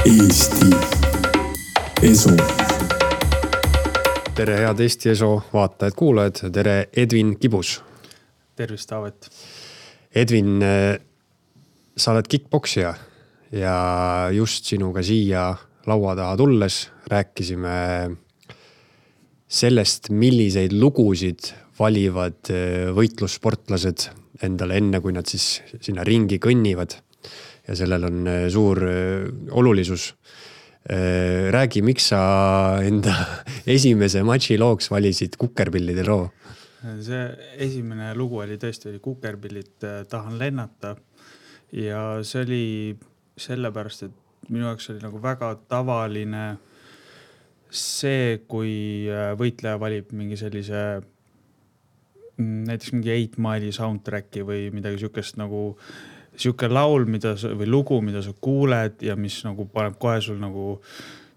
Eesti Esu. Tere head Eesti Esu vaatajad-kuulajad, tere Edvin Kibus. Tervist, Taavet. Edvin, sa oled kickboksija ja just sinuga siia laua taha tulles rääkisime sellest, milliseid lugusid valivad võitlussportlased endale enne, kui nad siis sinna ringi kõnnivad. Ja sellel on suur olulisus. Räägi, miks sa enda esimese matši looks valisid Kukerpillide loo? See esimene lugu oli tõesti Kukerpillid tahan lennata. Ja see oli sellepärast, et minu jaoks oli nagu väga tavaline see, kui võitleja valib mingi sellise näiteks mingi 8 Mile'i soundtracki või midagi sükest nagu siuke laul või lugu, mida sa kuuled ja mis nagu paneb kohe sul nagu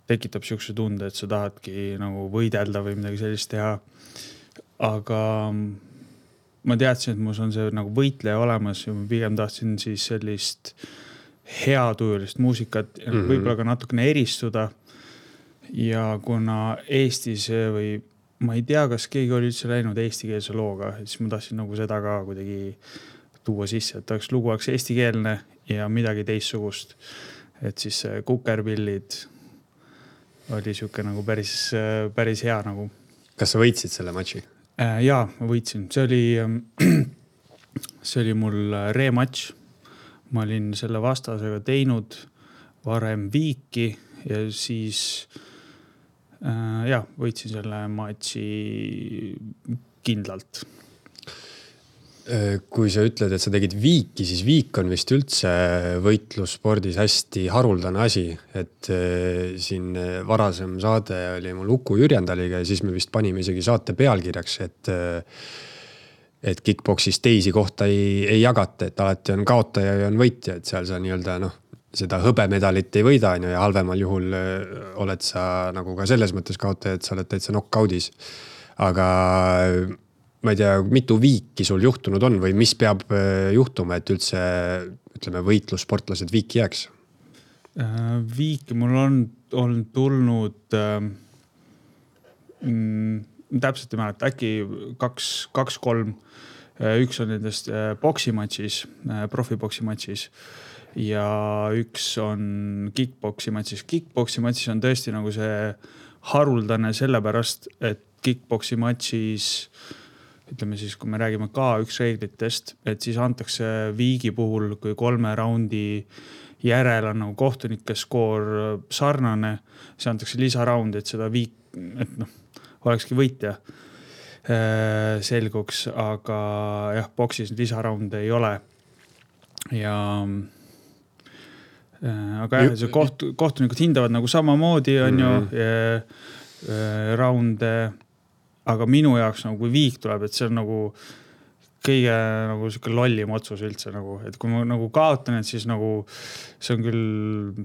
tekitab siukse tunde, et sa tahadki nagu võidelda või midagi sellist teha. Aga ma teadsin, et mus on see nagu võitleja olemas ja ma pigem tahtsin siis sellist heatujulist muusikat ja võib-olla ka natukene eristuda. Ja kuna Eestis või ma ei tea, kas keegi oli üldse läinud eestikeelse looga, siis ma tahtsin nagu seda ka kuidagi tuua sisse, et lugu oleks eestikeelne ja midagi teissugust. Et siis Kukerpillid oli siuke nagu päris hea nagu. Kas sa võitsid selle matši? Jaa, ma võitsin. See oli mul rematš. Ma olin selle vastasega teinud varem viiki ja siis võitsin selle matši kindlalt. Kui sa ütled, et sa tegid viiki, siis viik on vist üldse võitlusspordis hästi haruldane asi. Et siin varasem saade oli mul Uku Jürjendaliga ja siis me vist panime isegi saate pealkirjaks, et kickboksis teisi kohta ei jagata, et alati on kaotaja ja on võitja, et seal sa nii-öelda seda hõbemedalit ei võida ja halvemal juhul oled sa nagu ka selles mõttes kaotaja, et sa oled täitsa knockout'is. Aga ma ei tea, mitu viiki sul juhtunud on või mis peab juhtuma, et üldse ütleme, võitlussportlased viiki jääks? Viiki mul on tulnud täpselt ei mäleta, äkki 2-3. Üks on nendest boksimatšis, profiboksimatšis ja üks on kickboksimatšis. Kickboksimatšis on tõesti nagu see haruldane sellepärast, et kickboksimatšis ütleme siis, kui me räägime K1 reeglitest, et siis antakse viigi puhul, kui 3 raundi järel on nagu kohtunike skoor sarnane, see antakse lisaraundi, et seda viik, et olekski võitja selguks, aga jah, boksis lisaraunde ei ole. Ja aga jah, see kohtunikud hindavad nagu samamoodi on ju raunde. Aga minu jaoks nagu kui viik tuleb, et see on nagu kõige nagu selline lollim otsus üldse nagu, et kui ma nagu kaotan, et siis nagu see on küll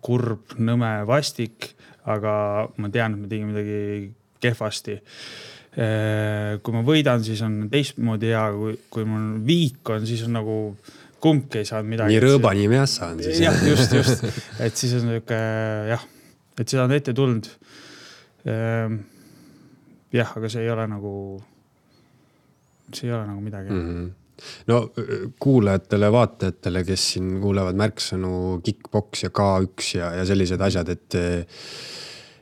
kurb, nõme, vastik, aga ma tean, et ma tegin midagi kehvasti. Kui ma võidan, siis on teistmoodi hea, kui mul viik on, siis on nagu kumbki ei saanud midagi. Nii rõõba nii meassa on siis. Jah, just. Et siis on niuke, jah, et seda on ette tulnud. Jah, aga see ei ole nagu midagi. No kuulajatele, vaatajatele, kes siin kuulevad märksõnu kickboks ja K1 ja sellised asjad,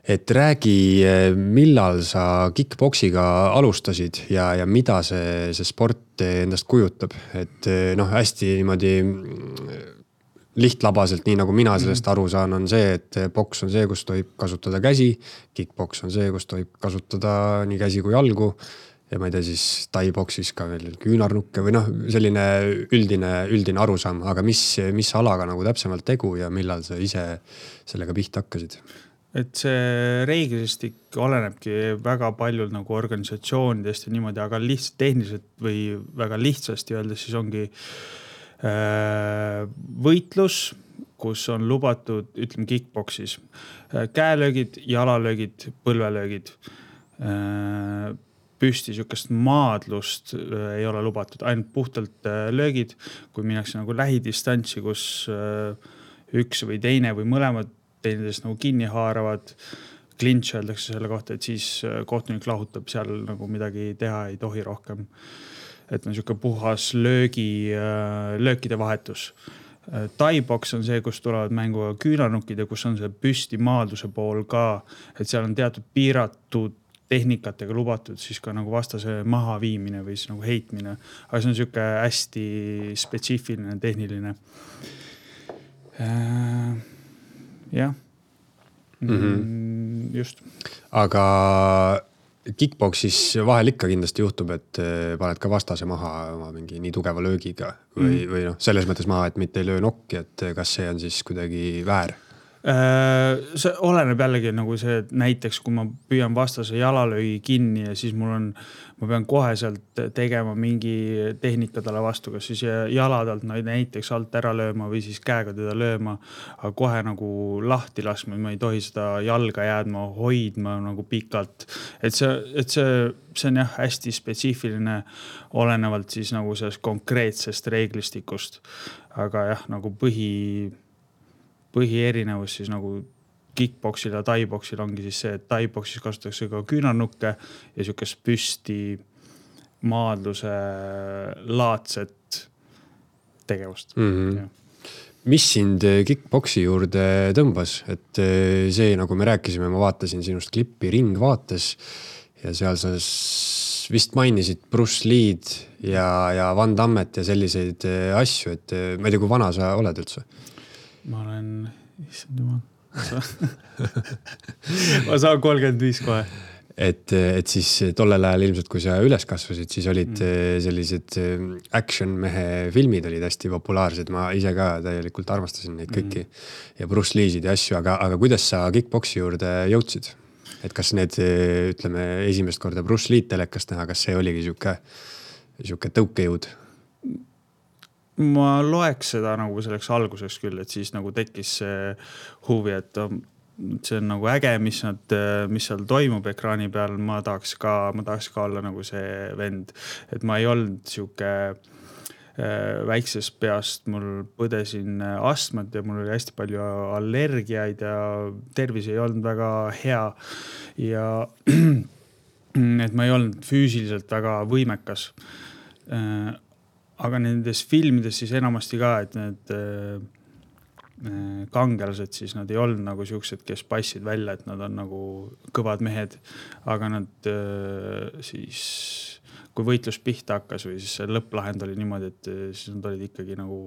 et räägi, millal sa kickboksiga alustasid ja mida see sport endast kujutab. Et hästi niimoodi lihtlabaselt, nii nagu mina sellest aru saan, on see, et boks on see, kus tohib kasutada käsi, kickboks on see, kus tohib kasutada nii käsi kui jalgu ja ma ei tea siis taiboksis ka veel küünarnukke või selline üldine arusaam, aga mis alaga nagu täpsemalt tegu ja millal sa ise sellega pihta hakkasid? Et see reeglistik olenebki väga paljult nagu organisatsioonidest ja niimoodi, aga lihtsalt tehniliselt või väga lihtsasti öeldes siis ongi võitlus, kus on lubatud, ütleme kickboksis, käelöögid, jalalöögid, põlvelöögid, püsti sükest maadlust ei ole lubatud, ainult puhtalt löögid, kui minnakse nagu lähidistantsi, kus üks või teine või mõlemad teineteist nagu kinni haaravad, clinch öeldakse selle kohta, et siis kohtunik lahutab, seal nagu midagi teha ei tohi rohkem. Et on niisugune puhas löökide vahetus. Thai-boks on see, kus tulevad mängu küünanukid ja kus on see püsti maalduse pool ka, et seal on teatud piiratud tehnikatega lubatud siis ka nagu vastase maha viimine või siis nagu heitmine. Aga see on niisugune hästi spetsiifiline, tehniline. Jah. Just. Aga kickboksis vahel ikka kindlasti juhtub, et paned ka vastase maha oma mingi nii tugeva löögiga või noh, selles mõttes maha, et mitte ei löö nokki, et kas see on siis kuidagi väär? See oleneb jällegi nagu see, et näiteks kui ma püüan vastase jalalöögi kinni ja siis ma pean koheselt tegema mingi tehnika talle vastu, kas siis jaladalt näiteks alt ära lööma või siis käega teda lööma, aga kohe nagu lahti laskma, ma ei tohi seda jalga jäädma, hoidma nagu pikalt. Et see on jah hästi spetsiifiline olenevalt siis nagu sellest konkreetsest reeglistikust. Aga jah, nagu põhierinevus siis nagu kickboksil ja thai-boksil ongi siis see, et thai-boksis kasutatakse ka küünarnukke ja siukest püsti maadluse laadset tegevust. Mis sind kickboksi juurde tõmbas? Et see, nagu me rääkisime, ma vaatasin sinust klippi Ringvaates ja seal sa vist mainisid Bruce Lee'd ja Van Dammet ja selliseid asju, et ma ei tea, kui vana sa oled üldse? Ma olen, issand jumal, ma saan 35 kohe. Et siis tollel ajal ilmselt, kui sa üles kasvasid, siis olid sellised action mehe filmid olid hästi populaarsed. Ma ise ka täielikult armastasin neid kõiki ja Bruce Lee'sid ja asju, aga kuidas sa kickboksi juurde jõudsid? Et kas need, ütleme, esimest korda Bruce Lee'd telekast näha, kas see oligi siuke tõukejõud? Ma loeks seda nagu selleks alguseks küll, et siis nagu tekkis see huvi, et see on nagu äge, mis seal toimub ekraani peal. Ma tahaks ka olla nagu see vend, et ma ei olnud siuke väiksest peast, mul põdesin astmat ja mul oli hästi palju allergiaid ja tervis ei olnud väga hea ja et ma ei olnud füüsiliselt väga võimekas. Aga nendes filmides siis enamasti ka, et need kangelased siis nad ei olnud nagu siuksed, kes passid välja, et nad on nagu kõvad mehed, aga nad siis, kui võitlus pihta hakkas või siis lõpplahend oli niimoodi, et siis nad olid ikkagi nagu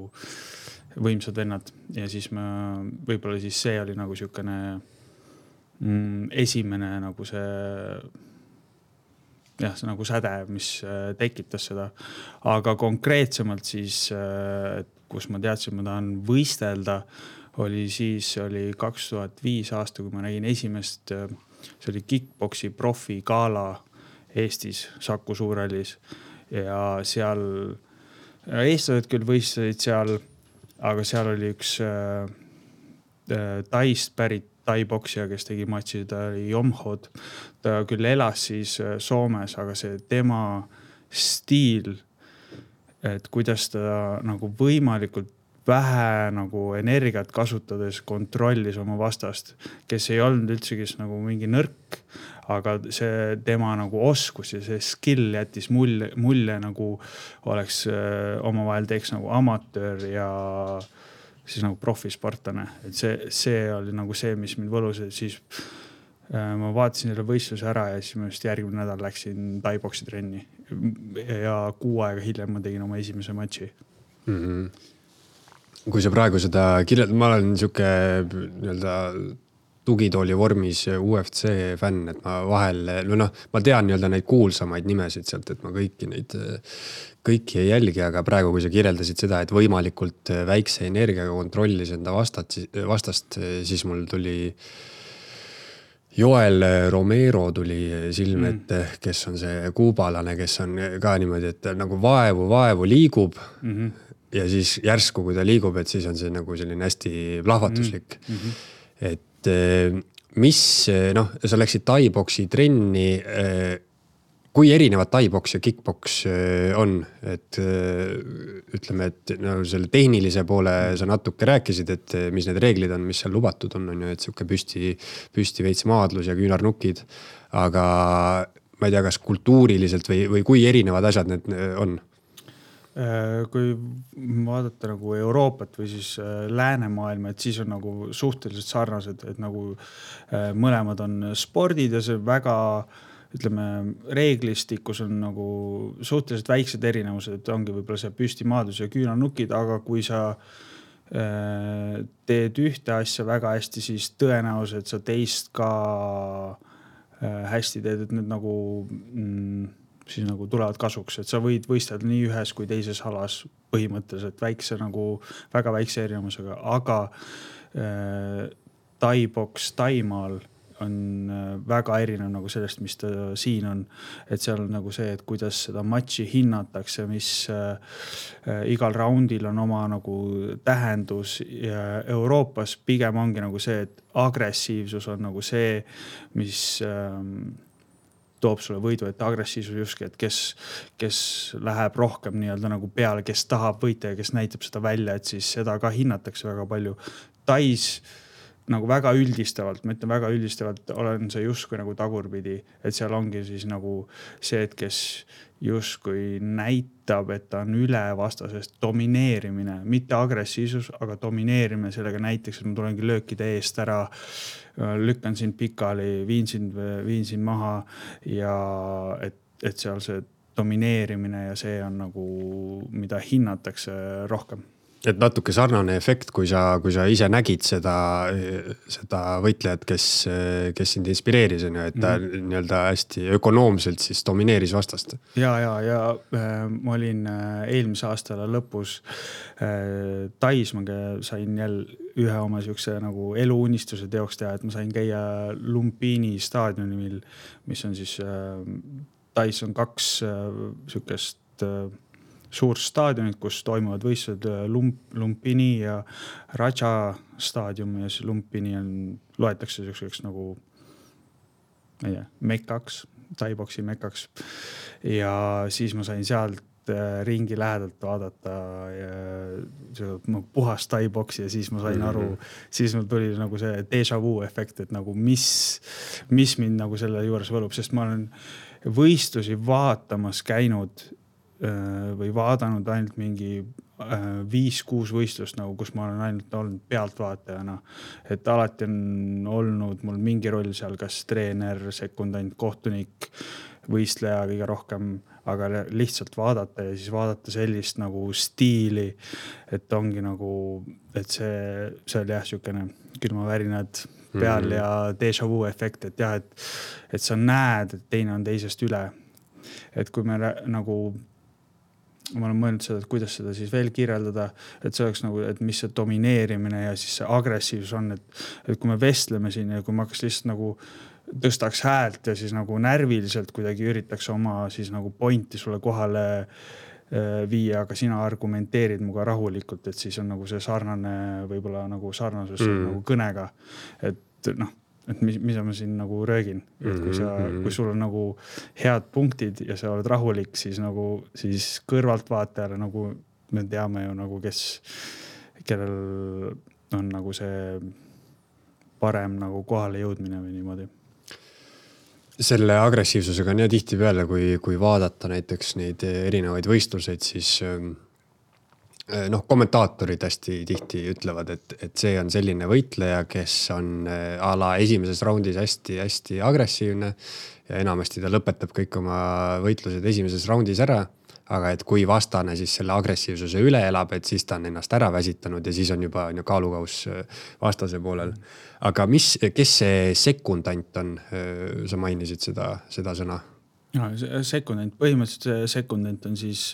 võimsad vennad ja siis võib-olla siis see oli nagu siukene esimene nagu see jah, see nagu säde, mis tekitas seda. Aga konkreetsemalt siis, kus ma teadsin, ma tahan võistelda, oli 2005 aasta, kui ma nägin esimest, see oli kickboksi profi gala Eestis, Saku Suurhallis ja seal eestlased küll võistlesid seal, aga seal oli üks Taist pärit thai-boksija, kes tegi matši, ta oli Jomhod. Ta küll elas siis Soomes, aga see tema stiil, et kuidas ta nagu võimalikult vähe nagu energiat kasutades kontrollis oma vastast, kes ei olnud üldse kes nagu mingi nõrk, aga see tema nagu oskus ja see skill jättis mulje nagu oleks omavahel teeks nagu amatöör ja siis nagu profisportlane. Et see oli nagu see, mis mind võlus, et siis ma vaatasin selle võistluse ära ja siis ma just järgmine nädal läksin thai-boksi trenni ja 6 aega hiljem ma tegin oma esimese matši. Kui sa praegu seda ma olen niisugune nii-öelda tugitooli vormis UFC fänn, et ma vahel, ma tean nii-öelda neid kuulsamaid nimesid sealt, et ma kõiki ei jälgi, aga praegu, kui sa kirjeldasid seda, et võimalikult väikse energiaga kontrollis enda vastast, siis mul tuli Joel Romero tuli silme ette, kes on see kuubalane, kes on ka niimoodi, et nagu vaevu liigub ja siis järsku, kui ta liigub, et siis on see nagu selline hästi plahvatuslik. Et mis, sa läksid thai-boksi trenni, kui erinevad tai-boks ja kick-boks on, et ütleme, et no, selle tehnilise poole sa natuke rääkisid, et mis need reeglid on, mis seal lubatud on ju, et siuke püsti veits maadlus ja küünarnukid, aga ma ei tea, kas kultuuriliselt või kui erinevad asjad need on? Kui vaadata nagu Euroopat või siis läänemaailma, et siis on nagu suhteliselt sarnased, et nagu mõlemad on spordid ja see väga, ütleme, reeglistikus on nagu suhteliselt väiksed erinevused, et ongi võib-olla see püstimaadlus ja küünarnukid, aga kui sa teed ühte asja väga hästi, siis tõenäoliselt sa teist ka hästi teed, et need nagu siis nagu tulevad kasuks, et sa võid võistelda nii ühes kui teises alas põhimõtteliselt väikse nagu väga väikse erinevusega, aga tai-boks Taimaal on väga erinev nagu sellest, mis ta siin on, et seal on nagu see, et kuidas seda matši hinnatakse, mis igal raundil on oma nagu tähendus ja Euroopas pigem ongi nagu see, et agressiivsus on nagu see, mis toob sulle võidu, et agressiivsus justkui, et kes läheb rohkem nii-öelda nagu peale, kes tahab võita ja kes näitab seda välja, et siis seda ka hinnatakse väga palju. Tais nagu väga üldistavalt, ma ütlen väga üldistavalt, olen see justkui nagu tagurpidi, et seal ongi siis nagu see, et kes justkui näitab, et ta on üle vastasest domineerimine, mitte agressiivsus, aga domineerimine sellega näiteks, et ma tulengi löökide eest ära, lükkan sind pikali, viin sind maha ja et seal see domineerimine ja see on nagu, mida hinnatakse rohkem. Et natuke sarnane efekt, kui sa ise nägid seda võitlejat, kes sind inspireeris, et ta nii-öelda hästi ökonoomselt siis domineeris vastast. Ja ma olin eelmise aastala lõpus Tais, ma sain jälle ühe oma siukse nagu eluunistuse teoks teha, et ma sain käia Lumpini staadionil, mis on siis Tais on 2 siukest suur staadionid, kus toimuvad võistlused Lumpini ja Raja staadium ja siis Lumpini loetakse selliseks nagu mekaks, tai-boksi mekaks. Ja siis ma sain sealt ringi lähedalt vaadata ja puhas tai-boksi ja siis ma sain aru, siis mul tuli nagu see déjà vu efekt, et nagu mis mind nagu selle juures võlub, sest ma olen võistlusi vaatamas käinud või vaadanud ainult mingi 5-6 võistlust, nagu, kus ma olen ainult olnud pealtvaatajana. Et alati on olnud mul mingi roll seal, kas treener, sekundant, kohtunik, võistleja kõige rohkem, aga lihtsalt vaadata ja siis vaadata sellist nagu stiili, et ongi nagu, et see oli jah siukene külmavärinad peal ja déjà vu efekt, et jah, et sa näed, et teine on teisest üle. Et kui me nagu ma olen mõelnud seda, et kuidas seda siis veel kirjeldada, et see oleks nagu, et mis see domineerimine ja siis see agressiivsus on, et kui me vestleme siin ja kui ma hakkas lihtsalt nagu tõstaks häält ja siis nagu närviliselt kuidagi üritaks oma siis nagu pointi sulle kohale viia, aga sina argumenteerid muga rahulikult, et siis on nagu see sarnane, võib-olla nagu sarnasus nagu kõnega, et noh, et mida ma siin nagu röögin, et kui sul on nagu head punktid ja sa oled rahulik, siis kõrvalt vaatajale nagu me teame ju nagu, kellel on nagu see parem nagu kohale jõudmine või niimoodi. Selle agressiivsusega on ja tihti peale, kui vaadata näiteks neid erinevaid võistluseid, siis kommentaatorid hästi tihti ütlevad, et see on selline võitleja, kes on a la esimeses raundis hästi agressiivne ja enamasti ta lõpetab kõik oma võitlused esimeses raundis ära, aga et kui vastane siis selle agressiivsuse üle elab, et siis ta on ennast ära väsitanud ja siis on juba kaalukaus vastase poolel. Aga kes see sekundant on? Sa mainisid seda sõna? No, sekundant, põhimõtteliselt sekundant on siis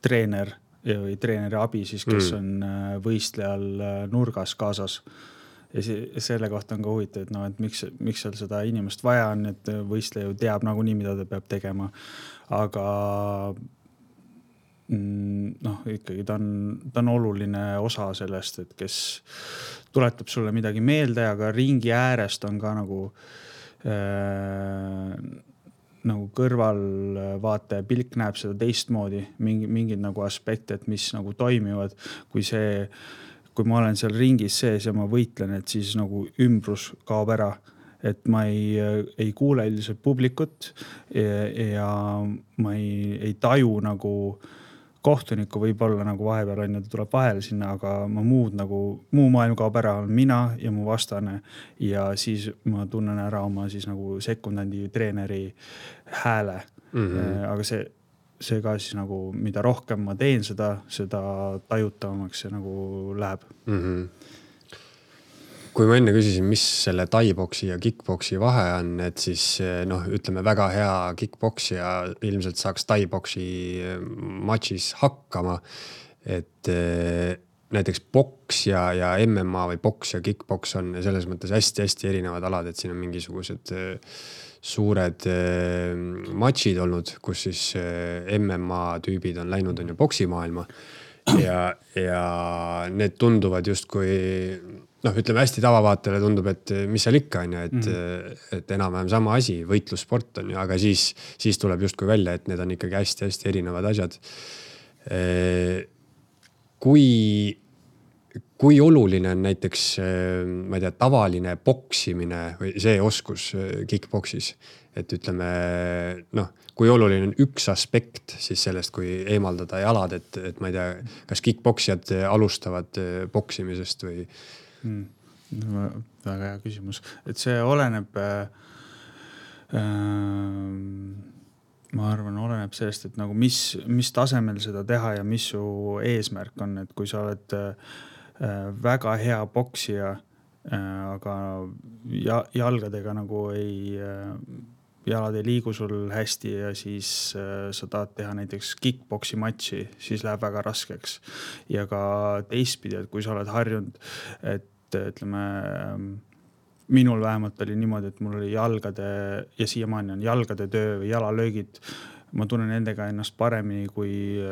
treener või treeneri abi siis, kes on võistlejal nurgas kaasas. Ja selle kohta on ka huvitav, et, et miks seal seda inimest vaja on, et võistleja ju teab nagunii, mida ta peab tegema. Aga ikkagi ta on oluline osa sellest, et kes tuletab sulle midagi meelde, aga ringi äärest on ka nagu nagu kõrvalvaataja pilk näeb seda teistmoodi, mingid nagu aspekte, et mis nagu toimivad, kui ma olen seal ringis sees ja ma võitlen, et siis nagu ümbrus kaob ära. Et ma ei kuule üldiselt publikut ja ma ei taju nagu kohtunikku võib-olla nagu vahepeal on ja ta tuleb vahele sinna, aga ma muu maailm kaob ära, on mina ja mu vastane ja siis ma tunnen ära oma siis nagu sekundandi treeneri hääle. Aga see ka siis nagu, mida rohkem ma teen seda tajutavamaks see nagu läheb. Kui ma enne küsisin, mis selle taiboksi ja kickboksi vahe on, et siis ütleme väga hea kickboksija ilmselt saaks taiboksi matšis hakkama. Et näiteks boks ja MMA või boks ja kickboks on selles mõttes hästi-hästi erinevad alad, et siin on mingisugused suured matšid olnud, kus siis MMA tüübid on läinud on ju boksimaailma ja need tunduvad justkui ütleme hästi tavavaatajale tundub, et mis seal ikka on ja et enam-vähem sama asi, võitlussport on ju, aga siis tuleb justkui välja, et need on ikkagi hästi-hästi erinevad asjad. Kui oluline on näiteks, ma ei tea, tavaline boksimine või see oskus kickboksis, et ütleme, kui oluline on üks aspekt siis sellest, kui eemaldada jalad, et ma ei tea, kas kickboksijad alustavad boksimisest või väga hea küsimus, et see oleneb ma arvan, oleneb sellest, et nagu mis tasemel seda teha ja mis su eesmärk on, et kui sa oled väga hea boksija, aga jalgadega nagu jalad ei liigu sul hästi ja siis sa tahad teha näiteks kickboksi matši, siis läheb väga raskeks. Ja ka teistpidi, et kui sa oled harjunud, et ütleme, minul vähemalt oli niimoodi, et mul oli jalgade ja siiamaani on jalgade töö või jalalöögid. Ma tunnen nendega ennast paremini kui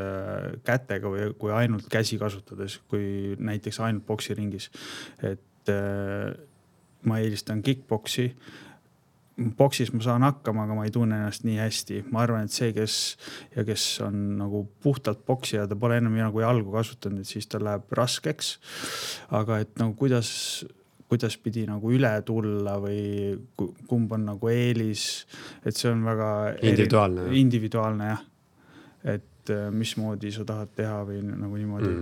kätega või kui ainult käsi kasutades, kui näiteks ainult boksiringis. Et ma eelistan kickboksi. Boksis ma saan hakkama, aga ma ei tunne ennast nii hästi. Ma arvan, et see, kes on nagu puhtalt boksija, ta pole enam nagu jalgu kasutanud, et siis ta läheb raskeks. Aga et nagu kuidas pidi nagu üle tulla või kumb on nagu eelis, et see on väga individuaalne jah. Et mismoodi sa tahad teha või nagu niimoodi.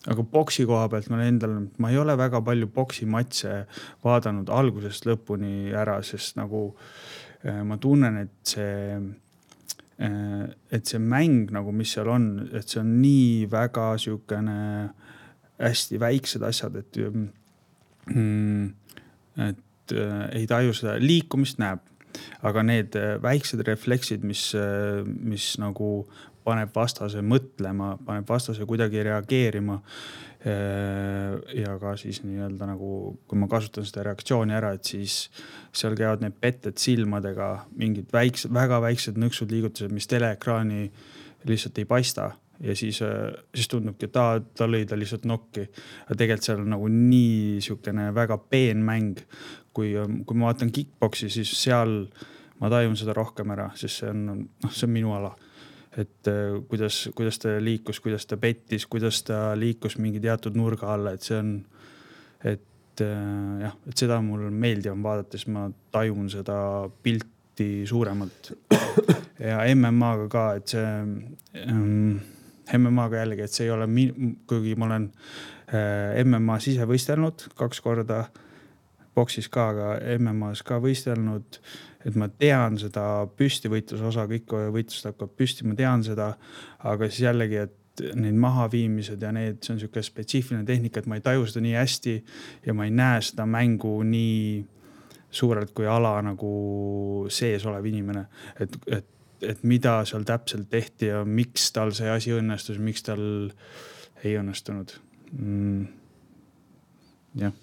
Aga boksi koha pealt ma ei ole väga palju boksi matse vaadanud algusest lõpuni ära, sest nagu ma tunnen, et see mäng nagu mis seal on, et see on nii väga siukene hästi väiksed asjad, et ei taju seda liikumist näeb, aga need väiksed refleksid, mis nagu paneb vastase mõtlema, paneb vastase kuidagi reageerima ja ka siis nii-öelda nagu, kui ma kasutan seda reaktsiooni ära, et siis seal käivad need petted silmadega, mingid väga väiksed nõksud liigutused, mis teleekraani lihtsalt ei paista ja siis tundubki, et ta lõi ta lihtsalt nokki. Ja tegelikult seal on nagu nii siukene väga peen mäng. Kui ma vaatan kickboksi, siis seal ma tajun seda rohkem ära, sest see on minu ala. Et kuidas ta liikus, kuidas ta pettis, kuidas ta liikus mingi teatud nurga alla, et see on, et seda mul meeldiv on vaadates, ma tajun seda pilti suuremalt. Ja MMA-ga ka, et see MMA-ga jällegi, et see ei ole, kuigi ma olen MMA-s ise võistelnud 2 korda, boksis ka, aga MMA-s ka võistelnud, et ma tean seda püstivõitluse osa, kõik võitlust hakkab püsti, ma tean seda, aga siis jällegi, et need mahaviimised ja see on siuke spetsiifiline tehnika, et ma ei taju seda nii hästi ja ma ei näe seda mängu nii suurelt kui ala nagu sees olev inimene, et mida seal täpselt tehti ja miks tal see asi õnnestus, miks tal ei õnnestunud. Jah.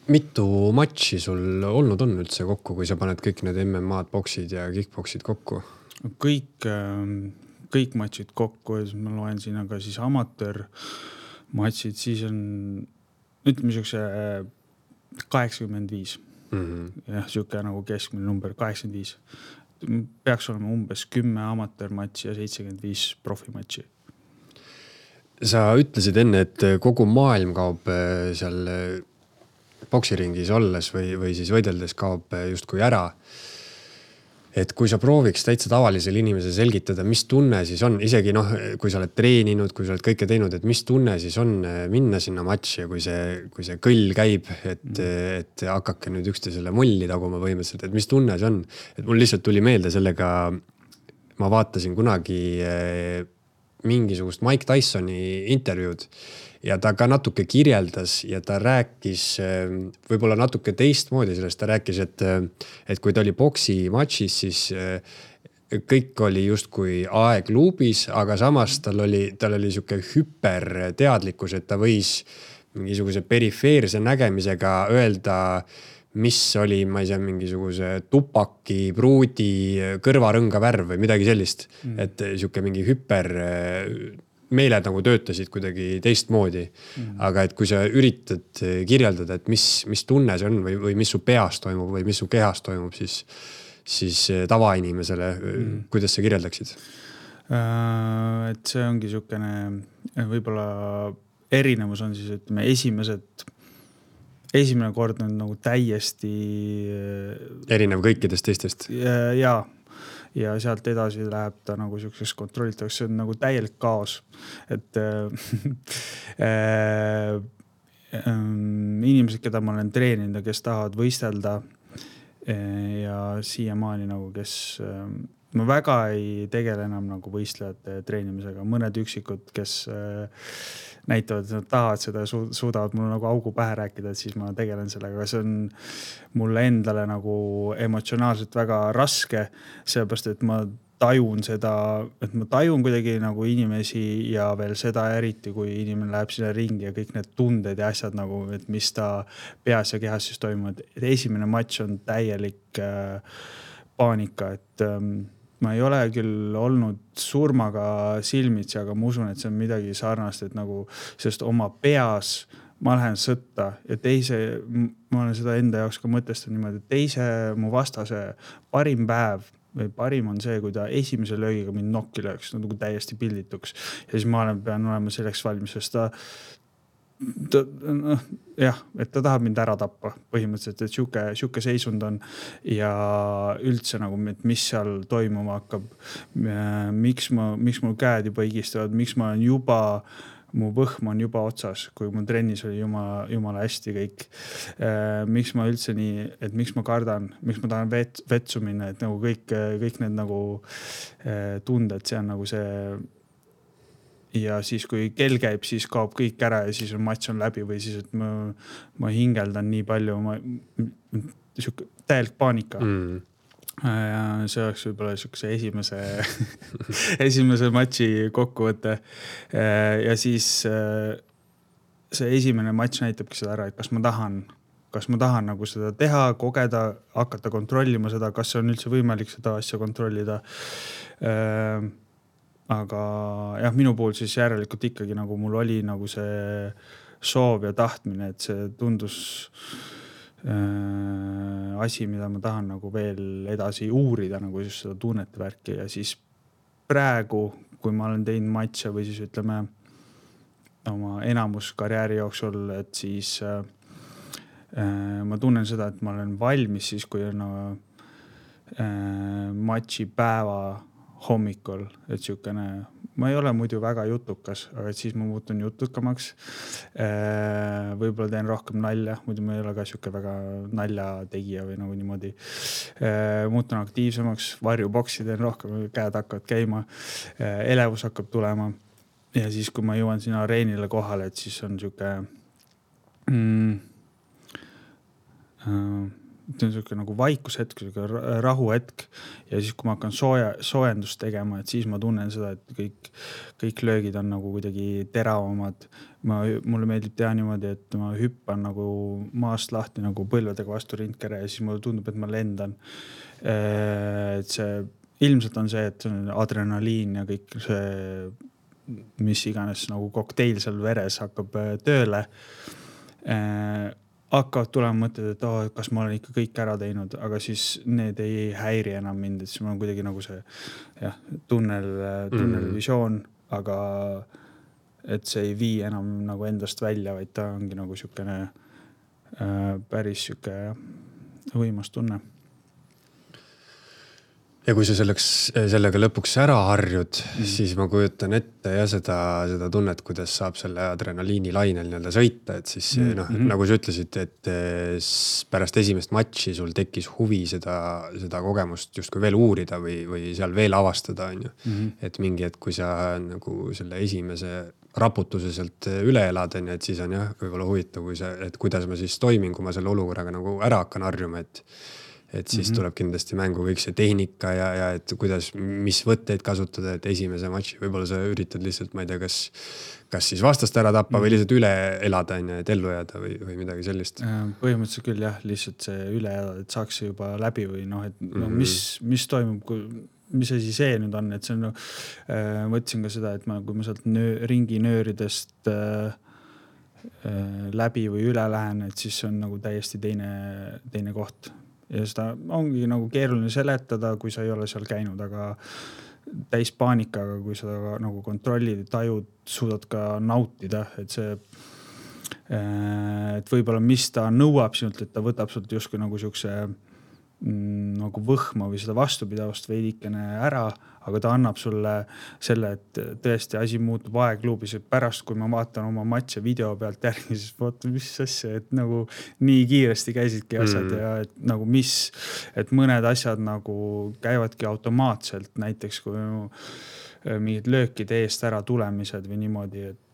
Mitu matši sul olnud on üldse kokku, kui sa paned kõik need MMA-d, boksid ja kickboksid kokku? Kõik matšid kokku, ma loen siin, aga siis amatöör matšid, siis on, ütleme siukse 85. jah, siuke nagu keskmine number 85. Peaks olema umbes 10 amatöörmatši ja 75 profimatši. Sa ütlesid enne, et kogu maailm kaob seal boksiringis olles või siis võideldes kaob justkui ära. Et kui sa prooviks täitsa tavalisele inimese selgitada, mis tunne siis on, isegi kui sa oled treeninud, kui sa oled kõike teinud, et mis tunne siis on minna sinna matši ja kui see kõll käib, et hakake nüüd üksteisele mulli taguma võimeliselt, et mis tunne see on. Et mul lihtsalt tuli meelde sellega, ma vaatasin kunagi mingisugust Mike Tysoni intervjuud ja ta ka natuke kirjeldas ja ta rääkis võib-olla natuke teistmoodi sellest. Ta rääkis, et kui ta oli boksi matšis, siis kõik oli justkui aeg luubis, aga samas tal oli siuke hüperteadlikkus, et ta võis mingisuguse perifeerse nägemisega öelda, mis oli, ma ei tea, mingisuguse tupaki, pruudi, kõrvarõnga värv või midagi sellist. Et siuke mingi hüper meeled nagu töötasid kuidagi teistmoodi. Aga et kui sa üritad kirjeldada, et mis tunne see on või mis su peas toimub või mis su kehas toimub, siis tavainimesele, kuidas sa kirjeldaksid? Et see ongi siukene, võib-olla erinevus on siis, ütleme, esimene kord on nagu täiesti erinev kõikidest teistest. Ja sealt edasi läheb ta nagu siukseks kontrollitavaks, see on nagu täielik kaos. Et inimesed, keda ma olen treeninud ja kes tahavad võistelda ja siiamaani nagu, kes ma väga ei tegele enam nagu võistlejate treenimisega. Mõned üksikud, kes näitavad, et nad tahavad seda ja suudavad mulle nagu augu pähe rääkida, et siis ma tegelen sellega. See on mulle endale nagu emotsionaalselt väga raske, seepärast, et ma tajun seda, et ma tajun kuidagi nagu inimesi ja veel seda eriti, kui inimene läheb sinna ringi ja kõik need tunded ja asjad nagu, et mis ta peas ja kehas siis toimub. Et esimene matš on täielik paanika, et ma ei ole küll olnud surmaga silmitsi, aga ma usun, et see on midagi sarnast, et nagu, sest oma peas ma lähen sõtta ja ma olen seda enda jaoks ka mõtestanud niimoodi, et mu vastase parim päev või parim on see, kui ta esimese löögiga mind nokki lööks, nagu täiesti pildituks. Ja siis ma pean olema selleks valmis, sest et ta tahab mind ära tappa põhimõtteliselt, et siuke seisund on ja üldse nagu, mis seal toimuma hakkab, miks mul käed juba higistavad, miks ma olen mu võhm on juba otsas, kui mul trennis oli jumala hästi kõik. Miks ma üldse nii, et miks ma kardan, miks ma tahan vetsu minna, et nagu kõik need nagu tunded, see on nagu see. Ja siis, kui kell käib, siis kaob kõik ära ja siis matš on läbi või siis, et ma hingeldan nii palju, täielik paanika. Ja see oleks võib-olla siukse esimese matši kokkuvõte. Ja siis see esimene matš näitabki seda ära, et kas ma tahan nagu seda teha, kogeda, hakata kontrollima seda, kas see on üldse võimalik seda asja kontrollida. Aga jah, minu puhul siis järelikult ikkagi nagu mul oli nagu see soov ja tahtmine, et see tundus asi, mida ma tahan nagu veel edasi uurida, nagu siis seda tunnete värki. Ja siis praegu, kui ma olen teinud matše või siis ütleme oma enamus karjääri jooksul, et siis ma tunnen seda, et ma olen valmis siis, kui on matši päeva hommikul, et siukene, ma ei ole muidu väga jutukas, aga et siis ma muutun jutukamaks. Võib-olla teen rohkem nalja, muidu ma ei ole ka siuke väga nalja tegija või nagu niimoodi. Muutun aktiivsemaks, varjuboksi teen rohkem, käed hakkavad käima, elevus hakkab tulema. Ja siis, kui ma jõuan sinna areenile kohale, et siis on siuke nagu vaikushetk, rahuhetk ja siis, kui ma hakkan soojendust tegema, et siis ma tunnen seda, et kõik löögid on nagu kuidagi teravamad. Mulle meeldib teha niimoodi, et ma hüppan nagu maast lahti nagu põlvedega vastu rindkere ja siis mulle tundub, et ma lendan. Et see ilmselt on see, et adrenaliin ja kõik see, mis iganes nagu kokteil seal veres hakkab tööle. hakkavad tulema mõtted, et kas ma olen ikka kõik ära teinud, aga siis need ei häiri enam mind, et siis mul on kuidagi nagu see tunnelvisioon, aga et see ei vii enam nagu endast välja, vaid ta ongi nagu siukene päris siuke võimas tunne. Ja kui sa sellega lõpuks ära harjud, siis ma kujutan ette ja seda tunnet, kuidas saab selle adrenaliini lainel nii-öelda sõita, et siis nagu sa ütlesid, et pärast esimest matši sul tekkis huvi seda kogemust justkui veel uurida või seal veel avastada. Et mingi, et kui sa nagu selle esimese raputuse sealt üle elad, et siis on võib-olla huvitav, et kuidas ma siis toimin, kui ma selle olukorraga nagu ära hakkan harjuma, et siis tuleb kindlasti mängu kõik see tehnika ja et kuidas, mis võtteid kasutada, et esimese matši võib-olla sa üritad lihtsalt, ma ei tea, kas siis vastast ära tappa või lihtsalt üle elada, et ellu jääda või midagi sellist. Põhimõtteliselt küll lihtsalt see üle elada, et saaks juba läbi või mis toimub, mis asi see nüüd on, et see on mõtlesin ka seda, et kui ma sealt ringi nööridest läbi või üle lähen, et siis on nagu täiesti teine koht. Ja seda ongi nagu keeruline seletada, kui sa ei ole seal käinud, aga täis paanikaga, kui sa nagu kontrollid ja tajud, suudad ka nautida, et see, et võib-olla mis ta nõuab sinult, et ta võtab sult justkui nagu siukse nagu võhma või seda vastupidavust veidikene ära, aga ta annab sulle selle, et tõesti asi muutub aegluubis, et pärast, kui ma vaatan oma matše video pealt järgi, siis vaatan, mis asja, et nagu nii kiiresti käisidki asjad ja et nagu et mõned asjad nagu käivadki automaatselt, näiteks kui mingid löökide eest ära tulemised või niimoodi, et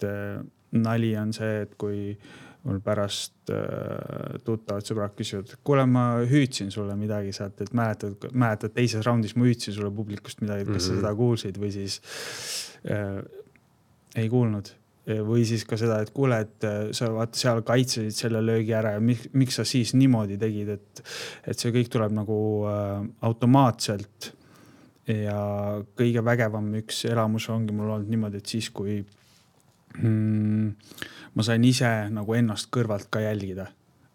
nali on see, et kui mul pärast tuttavad sõbrad küsivad, kuule, ma hüüdsin sulle midagi sealt, et mäletad teises raundis ma hüüdsin sulle publikust midagi, kas sa seda kuulsid või siis ei kuulnud. Või siis ka seda, et kuule, et sa vaata seal kaitsesid selle löögi ära ja miks sa siis niimoodi tegid, et see kõik tuleb nagu automaatselt ja kõige vägevam üks elamus ongi mul olnud niimoodi, et siis kui ma sain ise nagu ennast kõrvalt ka jälgida.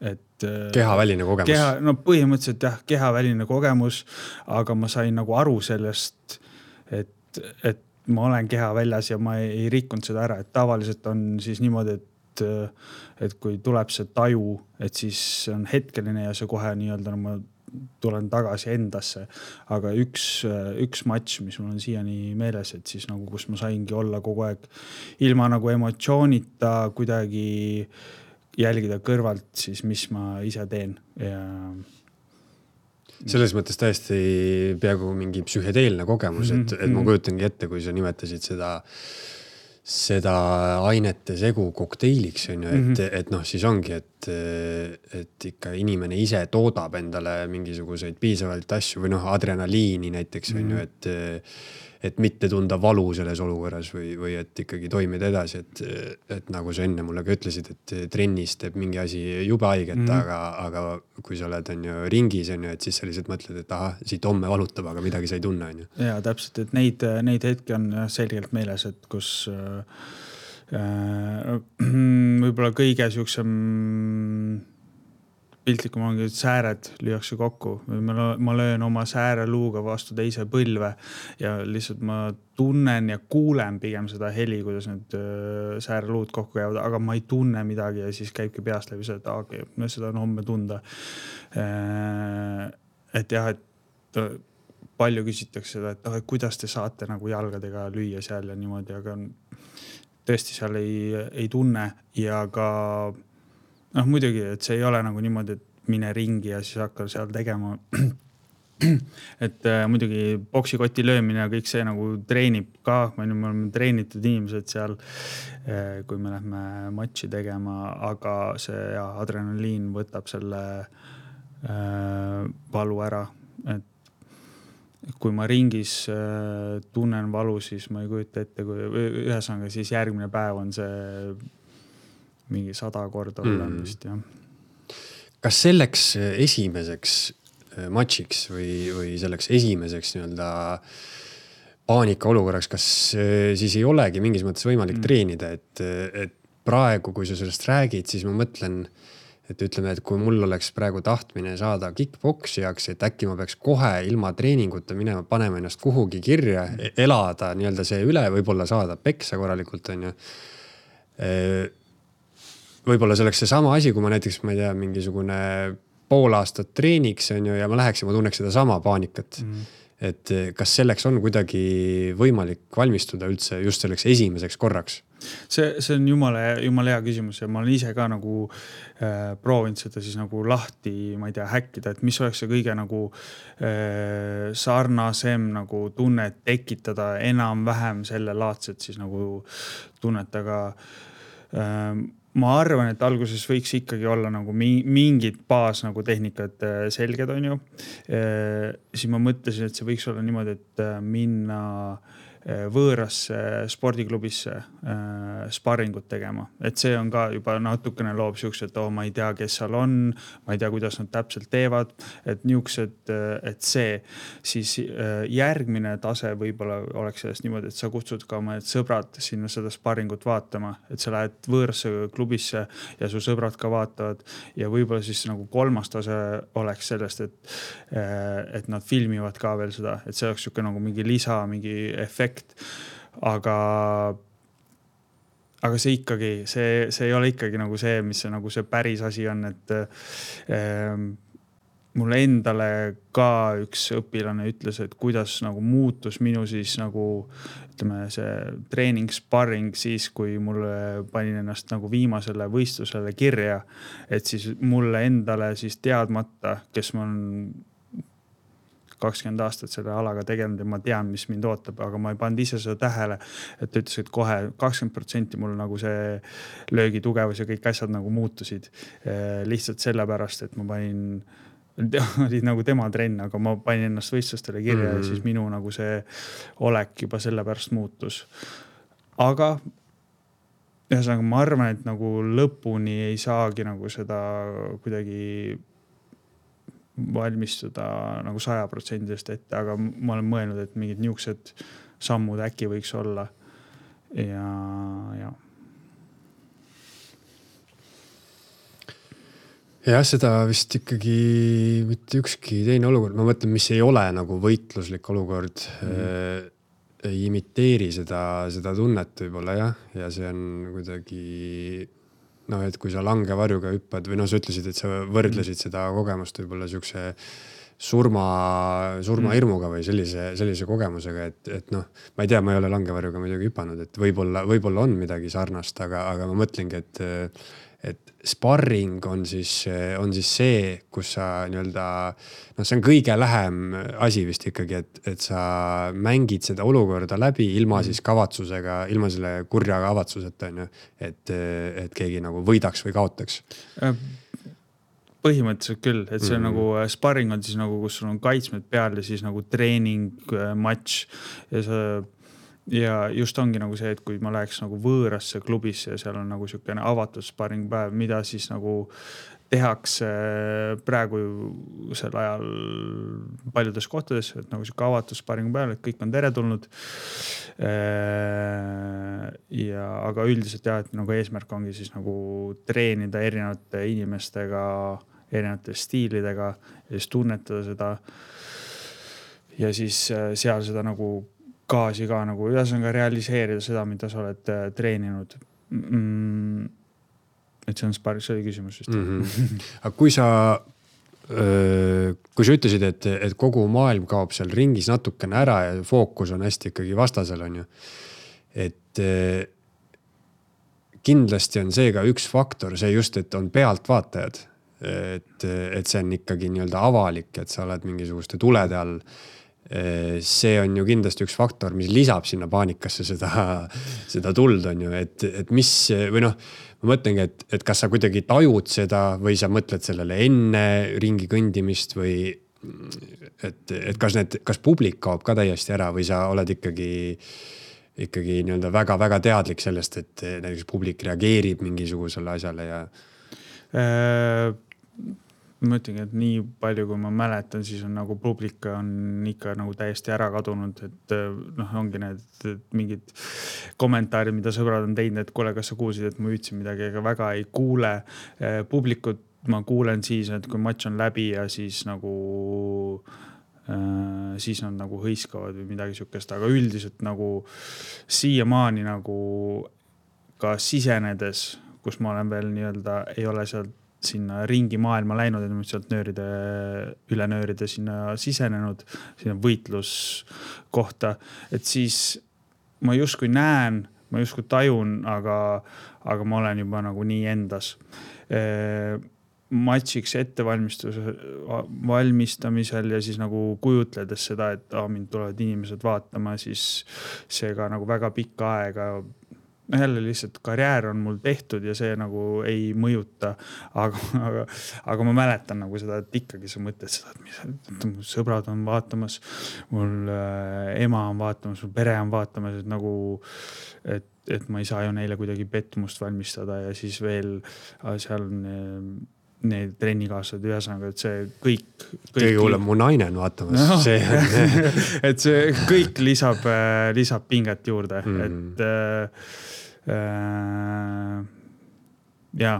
Et kehaväline kogemus. No põhimõtteliselt kehaväline kogemus, aga ma sain nagu aru sellest, et ma olen keha väljas ja ma ei rikkunud seda ära. Et tavaliselt on siis niimoodi, et kui tuleb see taju, et siis on hetkeline ja see kohe nii-öelda ma tulen tagasi endasse. Aga üks matš, mis mul on siiani meeles, et siis nagu, kus ma saingi olla kogu aeg ilma nagu emotsioonita kuidagi jälgida kõrvalt siis, mis ma ise teen. Ja selles mõttes täiesti peaaegu mingi psühhedeelne kogemus, et ma kujutangi ette, kui sa nimetasid seda ainete segu kokteiliks, et siis ongi, et ikka inimene ise toodab endale mingisuguseid piisavalt asju või adrenaliini näiteks, et mitte tunda valu selles olukorras või et ikkagi toimida edasi, et nagu sa enne mulle ka ütlesid, et trennis teeb mingi asi jube haiget, aga kui sa oled ringis, et siis sa lihtsalt mõtled, et siit homme valutab, aga midagi sa ei tunne. Ja täpselt, et neid hetki on selgelt meeles, et kus võib-olla kõige siuksem piltlikum ongi, et sääred lüüakse kokku. Ma löön oma sääreluuga vastu teise põlve ja lihtsalt ma tunnen ja kuulen pigem seda heli, kuidas need sääreluud kokku käivad, aga ma ei tunne midagi ja siis käibki peast läbi see, et seda on homme tunda. Et et palju küsitakse seda, et kuidas te saate nagu jalgadega lüüa seal ja niimoodi, aga tõesti seal ei tunne ja ka muidugi, et see ei ole nagu niimoodi, et mine ringi ja siis hakka seal tegema. Et muidugi boksikoti löömine ja kõik see nagu treenib ka. Me oleme treenitud inimesed seal, kui me lähme matši tegema, aga see adrenaliin võtab selle valu ära. Et kui ma ringis tunnen valu, siis ma ei kujuta ette, kui ühesõnaga siis järgmine päev on see mingi 100 korda olemist, jah. Kas selleks esimeseks matšiks või selleks esimeseks nii-öelda paanika olukorraks, kas siis ei olegi mingis mõttes võimalik treenida, et praegu, kui sa sellest räägid, siis ma mõtlen, et ütleme, et kui mul oleks praegu tahtmine saada kickboksijaks, et äkki ma peaks kohe ilma treeninguta minema, panema ennast kuhugi kirja, elada nii-öelda see üle, võib-olla saada peksa korralikult, on ju. Võib-olla see oleks see sama asi, kui ma näiteks, ma ei tea, mingisugune pool aastat treeniks, on ju, ja ma läheks ja ma tunneks seda sama paanikat. Et kas selleks on kuidagi võimalik valmistuda üldse just selleks esimeseks korraks? See on jumala hea küsimus ja ma olen ise ka nagu proovinud seda siis nagu lahti, ma ei tea, häkkida, et mis oleks see kõige nagu sarnasem nagu tunnet tekitada enam-vähem selle laadset siis nagu tunnet, aga ma arvan, et alguses võiks ikkagi olla nagu mingid baas nagu tehnikad selged, on ju. Siis ma mõtlesin, et see võiks olla niimoodi, et minna võõrasse spordiklubisse sparringut tegema. Et see on ka juba natukene loob siuksed, et ma ei tea, kes seal on, ma ei tea, kuidas nad täpselt teevad, et niuksed, et see siis järgmine tase võib-olla oleks sellest niimoodi, et sa kutsud ka oma sõbrad sinna seda sparringut vaatama, et sa lähed võõrasse klubisse ja su sõbrad ka vaatavad ja võib-olla siis nagu kolmas tase oleks sellest, et nad filmivad ka veel seda, et see oleks siuke nagu mingi lisa, mingi efekt. Aga see ikkagi, see ei ole ikkagi nagu see, mis see, nagu see päris asi on, et mulle endale ka üks õpilane ütles, et kuidas nagu muutus minu siis nagu ütleme see treening sparring siis, kui mulle panin ennast nagu viimasele võistlusele kirja, et siis mulle endale siis teadmata, kes ma on 20 aastat selle alaga tegelenud ja ma tean, mis mind ootab, aga ma ei pannud ise seda tähele, et ta ütles, et kohe 20% mul nagu see löögi tugevus ja kõik asjad nagu muutusid. Lihtsalt sellepärast, et ma panin, oli nagu tema trenn, aga ma panin ennast võistlustele kirja ja siis minu nagu see olek juba sellepärast muutus. Aga ühesõnaga, ma arvan, et nagu lõpuni ei saagi nagu seda kuidagi valmistuda nagu 100% ette, aga ma olen mõelnud, et mingid niuksed sammud äkki võiks olla ja. Jah, seda vist ikkagi mitte ükski teine olukord. Ma mõtlen, mis ei ole nagu võitluslik olukord, ei imiteeri seda tunnet võib-olla ja see on kuidagi et kui sa langevarjuga hüppad või sa ütlesid, et sa võrdlesid seda kogemust võib-olla siukse surma hirmuga või sellise kogemusega, et ma ei tea, ma ei ole langevarjuga muidugi hüpanud, et võib-olla on midagi sarnast, aga ma mõtlengi, et sparring on siis see, kus sa nii-öelda, see on kõige lähem asi vist ikkagi, et sa mängid seda olukorda läbi ilma siis kavatsusega, ilma selle kurja kavatsuseta, et keegi nagu võidaks või kaotaks. Põhimõtteliselt küll, et see on nagu sparring on siis nagu, kus sul on kaitsmed peal ja siis nagu treening, match ja just ongi nagu see, et kui ma läheks nagu võõrasse klubisse ja seal on nagu siukene avatud sparring päev, mida siis nagu tehakse praegu sel ajal paljudes kohtades, et nagu siuke avatud sparring päev, et kõik on teretulnud. Aga üldiselt et nagu eesmärk ongi siis nagu treenida erinevate inimestega, erinevate stiilidega ja siis tunnetada seda ja siis seal seda nagu gaasi ka nagu ühesõnaga realiseerida seda, mida sa oled treeninud. Et see on sparring, see oli küsimus vist. Aga kui sa ütlesid, et kogu maailm kaob seal ringis natukene ära ja fookus on hästi ikkagi vastasel, on ju. Et kindlasti on see ka üks faktor, see just, et on pealtvaatajad. Et see on ikkagi nii-öelda avalik, et sa oled mingisuguste tulede all. See on ju kindlasti üks faktor, mis lisab sinna paanikasse seda tuld, on ju, et mis või ma mõtlengi, et kas sa kuidagi tajud seda või sa mõtled sellele enne ringi kõndimist või et kas publik kaob ka täiesti ära või sa oled ikkagi nii-öelda väga-väga teadlik sellest, et näiteks publik reageerib mingisugusele asjale ja ma ütlengi, et nii palju, kui ma mäletan, siis on nagu publik on ikka nagu täiesti ära kadunud, et ongi need mingid kommentaarid, mida sõbrad on teinud, et kuule, kas sa kuulsid, et ma ütlesin midagi, aga väga ei kuule. Publikut ma kuulen siis, et kui matš on läbi ja siis nagu siis nad nagu hõiskavad või midagi sükest, aga üldiselt nagu siiamaani nagu ka sisenedes, kus ma olen veel nii-öelda, ei ole sealt sinna ringi maailma läinud, et ma sealt üle nööride sinna sisenenud, sinna võitluskohta, et siis ma justkui näen, ma justkui tajun, aga ma olen juba nagu nii endas. Matšiks valmistamisel ja siis nagu kujutledes seda, et mind tulevad inimesed vaatama, siis see ka nagu väga pikka aega, jälle lihtsalt karjäär on mul tehtud ja see nagu ei mõjuta, aga ma mäletan nagu seda, et ikkagi sa mõtled seda, et mu sõbrad on vaatamas, mul ema on vaatamas, mul pere on vaatamas, et nagu, et ma ei saa ju neile kuidagi petmust valmistada ja siis veel seal need trennikaaslased ühesõnaga, et see kõik kõige hullem mu naine on vaatamas. No. See et see kõik lisab pinget juurde, et ja.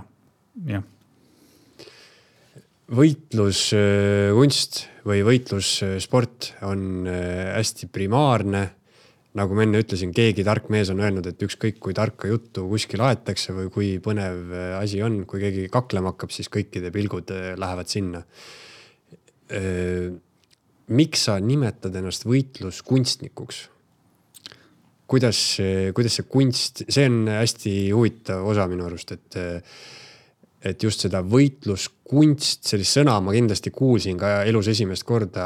Võitluskunst või võitlussport on hästi primaarne. Nagu ma enne ütlesin, keegi tark mees on öelnud, et ükskõik kui tarka juttu kuskil aetakse või kui põnev asi on, kui keegi kaklema hakkab, siis kõikide pilgud lähevad sinna. Miks sa nimetad ennast võitluskunstnikuks? Kuidas see kunst, see on hästi huvitav osa minu arust, et just seda võitluskunst, sellist sõna ma kindlasti kuulsin ka elus esimest korda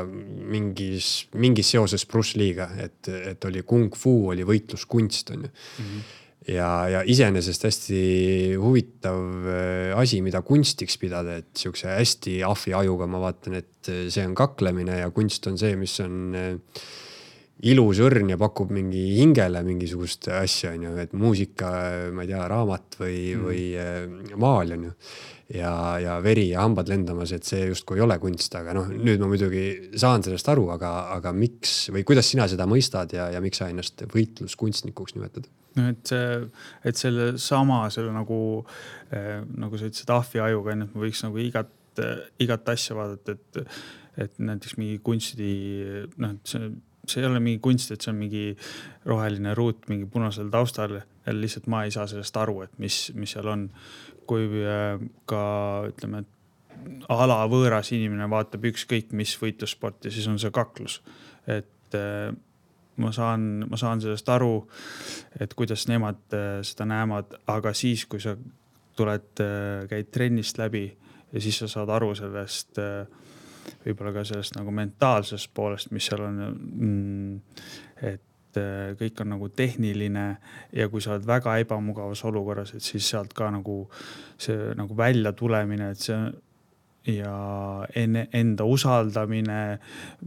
mingis seoses Bruce Lee'ga, et oli kung fu, oli võitluskunst. On ju. Ja iseenesest hästi huvitav asi, mida kunstiks pidada, et siukse hästi ahvi ajuga ma vaatan, et see on kaklemine ja kunst on see, mis on ilus õrn ja pakub mingi hingele mingisugust asja, on ju, et muusika, ma ei tea, raamat või maal on ju. Ja veri ja hambad lendamas, et see justkui ei ole kunst, aga nüüd ma muidugi saan sellest aru, aga miks või kuidas sina seda mõistad ja miks sa ennast võitluskunstnikuks nimetad? No, et selle sama, selle nagu sa ütlesid ahvi ajuga, et ma võiks nagu igat asja vaadata, et näiteks mingi kunsti, see ei ole mingi kunst, et see on mingi roheline ruut, mingi punasel taustal. Ja lihtsalt ma ei saa sellest aru, et mis seal on. Kui ka, ütleme, ala võõras inimene vaatab ükskõik mis võitlussporti, siis on see kaklus. Et ma saan sellest aru, et kuidas nemad seda näevad, aga siis, kui sa käid trennist läbi ja siis sa saad aru sellest võib-olla ka sellest nagu mentaalsest poolest, mis seal on, et kõik on nagu tehniline ja kui sa oled väga ebamugavas olukorras, et siis sealt ka nagu see nagu välja tulemine, et see ja enda usaldamine,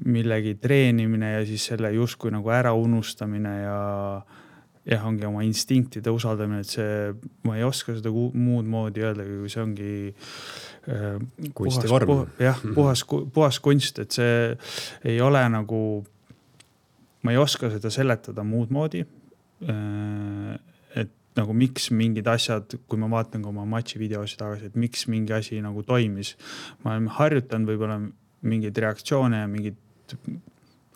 millegi treenimine ja siis selle justkui nagu ära unustamine ja ongi oma instinktide usaldamine, et see, ma ei oska seda muud moodi öelda, kui see ongi kunstivorm. Puhas kunst, et see ei ole nagu, ma ei oska seda seletada muud moodi, et nagu miks mingid asjad, kui ma vaatan ka oma matši videosi tagasi, et miks mingi asi nagu toimis. Ma olen harjutanud võib-olla mingeid reaktsioone ja mingeid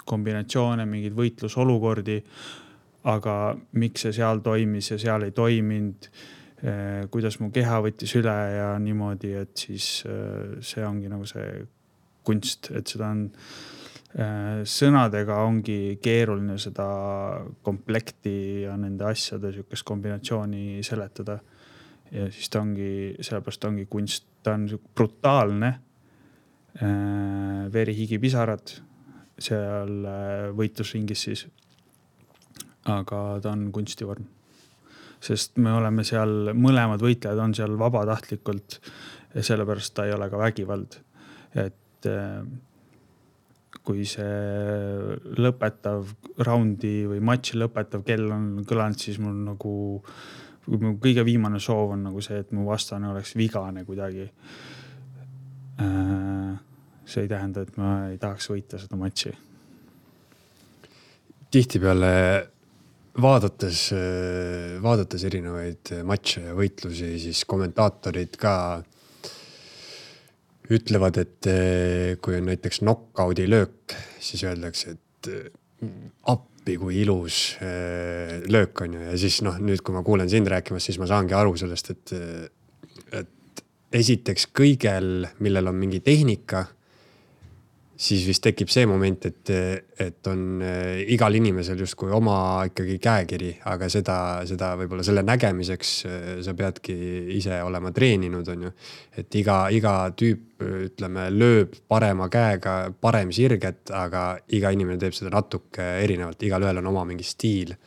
kombinatsioone, mingeid võitlusolukordi, aga miks see seal toimis ja seal ei toiminud, kuidas mu keha võttis üle ja niimoodi, et siis see ongi nagu see kunst, et seda on sõnadega ongi keeruline seda komplekti ja nende asjade sükest kombinatsiooni seletada. Ja siis ta ongi, sellepärast ongi kunst, ta on brutaalne, veri, higi, pisarad seal võitlusringis siis, aga ta on kunstivorm. Sest me oleme seal, mõlemad võitlejad on seal vabatahtlikult ja sellepärast ta ei ole ka vägivald. Et kui see lõpetav raundi või matši lõpetav kell on kõlanud, siis mul nagu kõige viimane soov on nagu see, et mu vastane oleks vigane kuidagi. See ei tähenda, et ma ei tahaks võita seda matši. Tihtipeale vaadates erinevaid matše ja võitlusi, siis kommentaatorid ka ütlevad, et kui on näiteks knockout'i löök, siis öeldakse, et appi kui ilus löök on ju. Ja siis nüüd, kui ma kuulen sind rääkimas, siis ma saangi aru sellest, et esiteks kõigel, millel on mingi tehnika, siis vist tekib see moment, et on igal inimesel justkui oma ikkagi käekiri, aga seda võib-olla selle nägemiseks sa peadki ise olema treeninud, on ju. Et iga tüüp, ütleme, lööb parema käega, parem sirget, aga iga inimene teeb seda natuke erinevalt. Igal ühel on oma mingi stiil.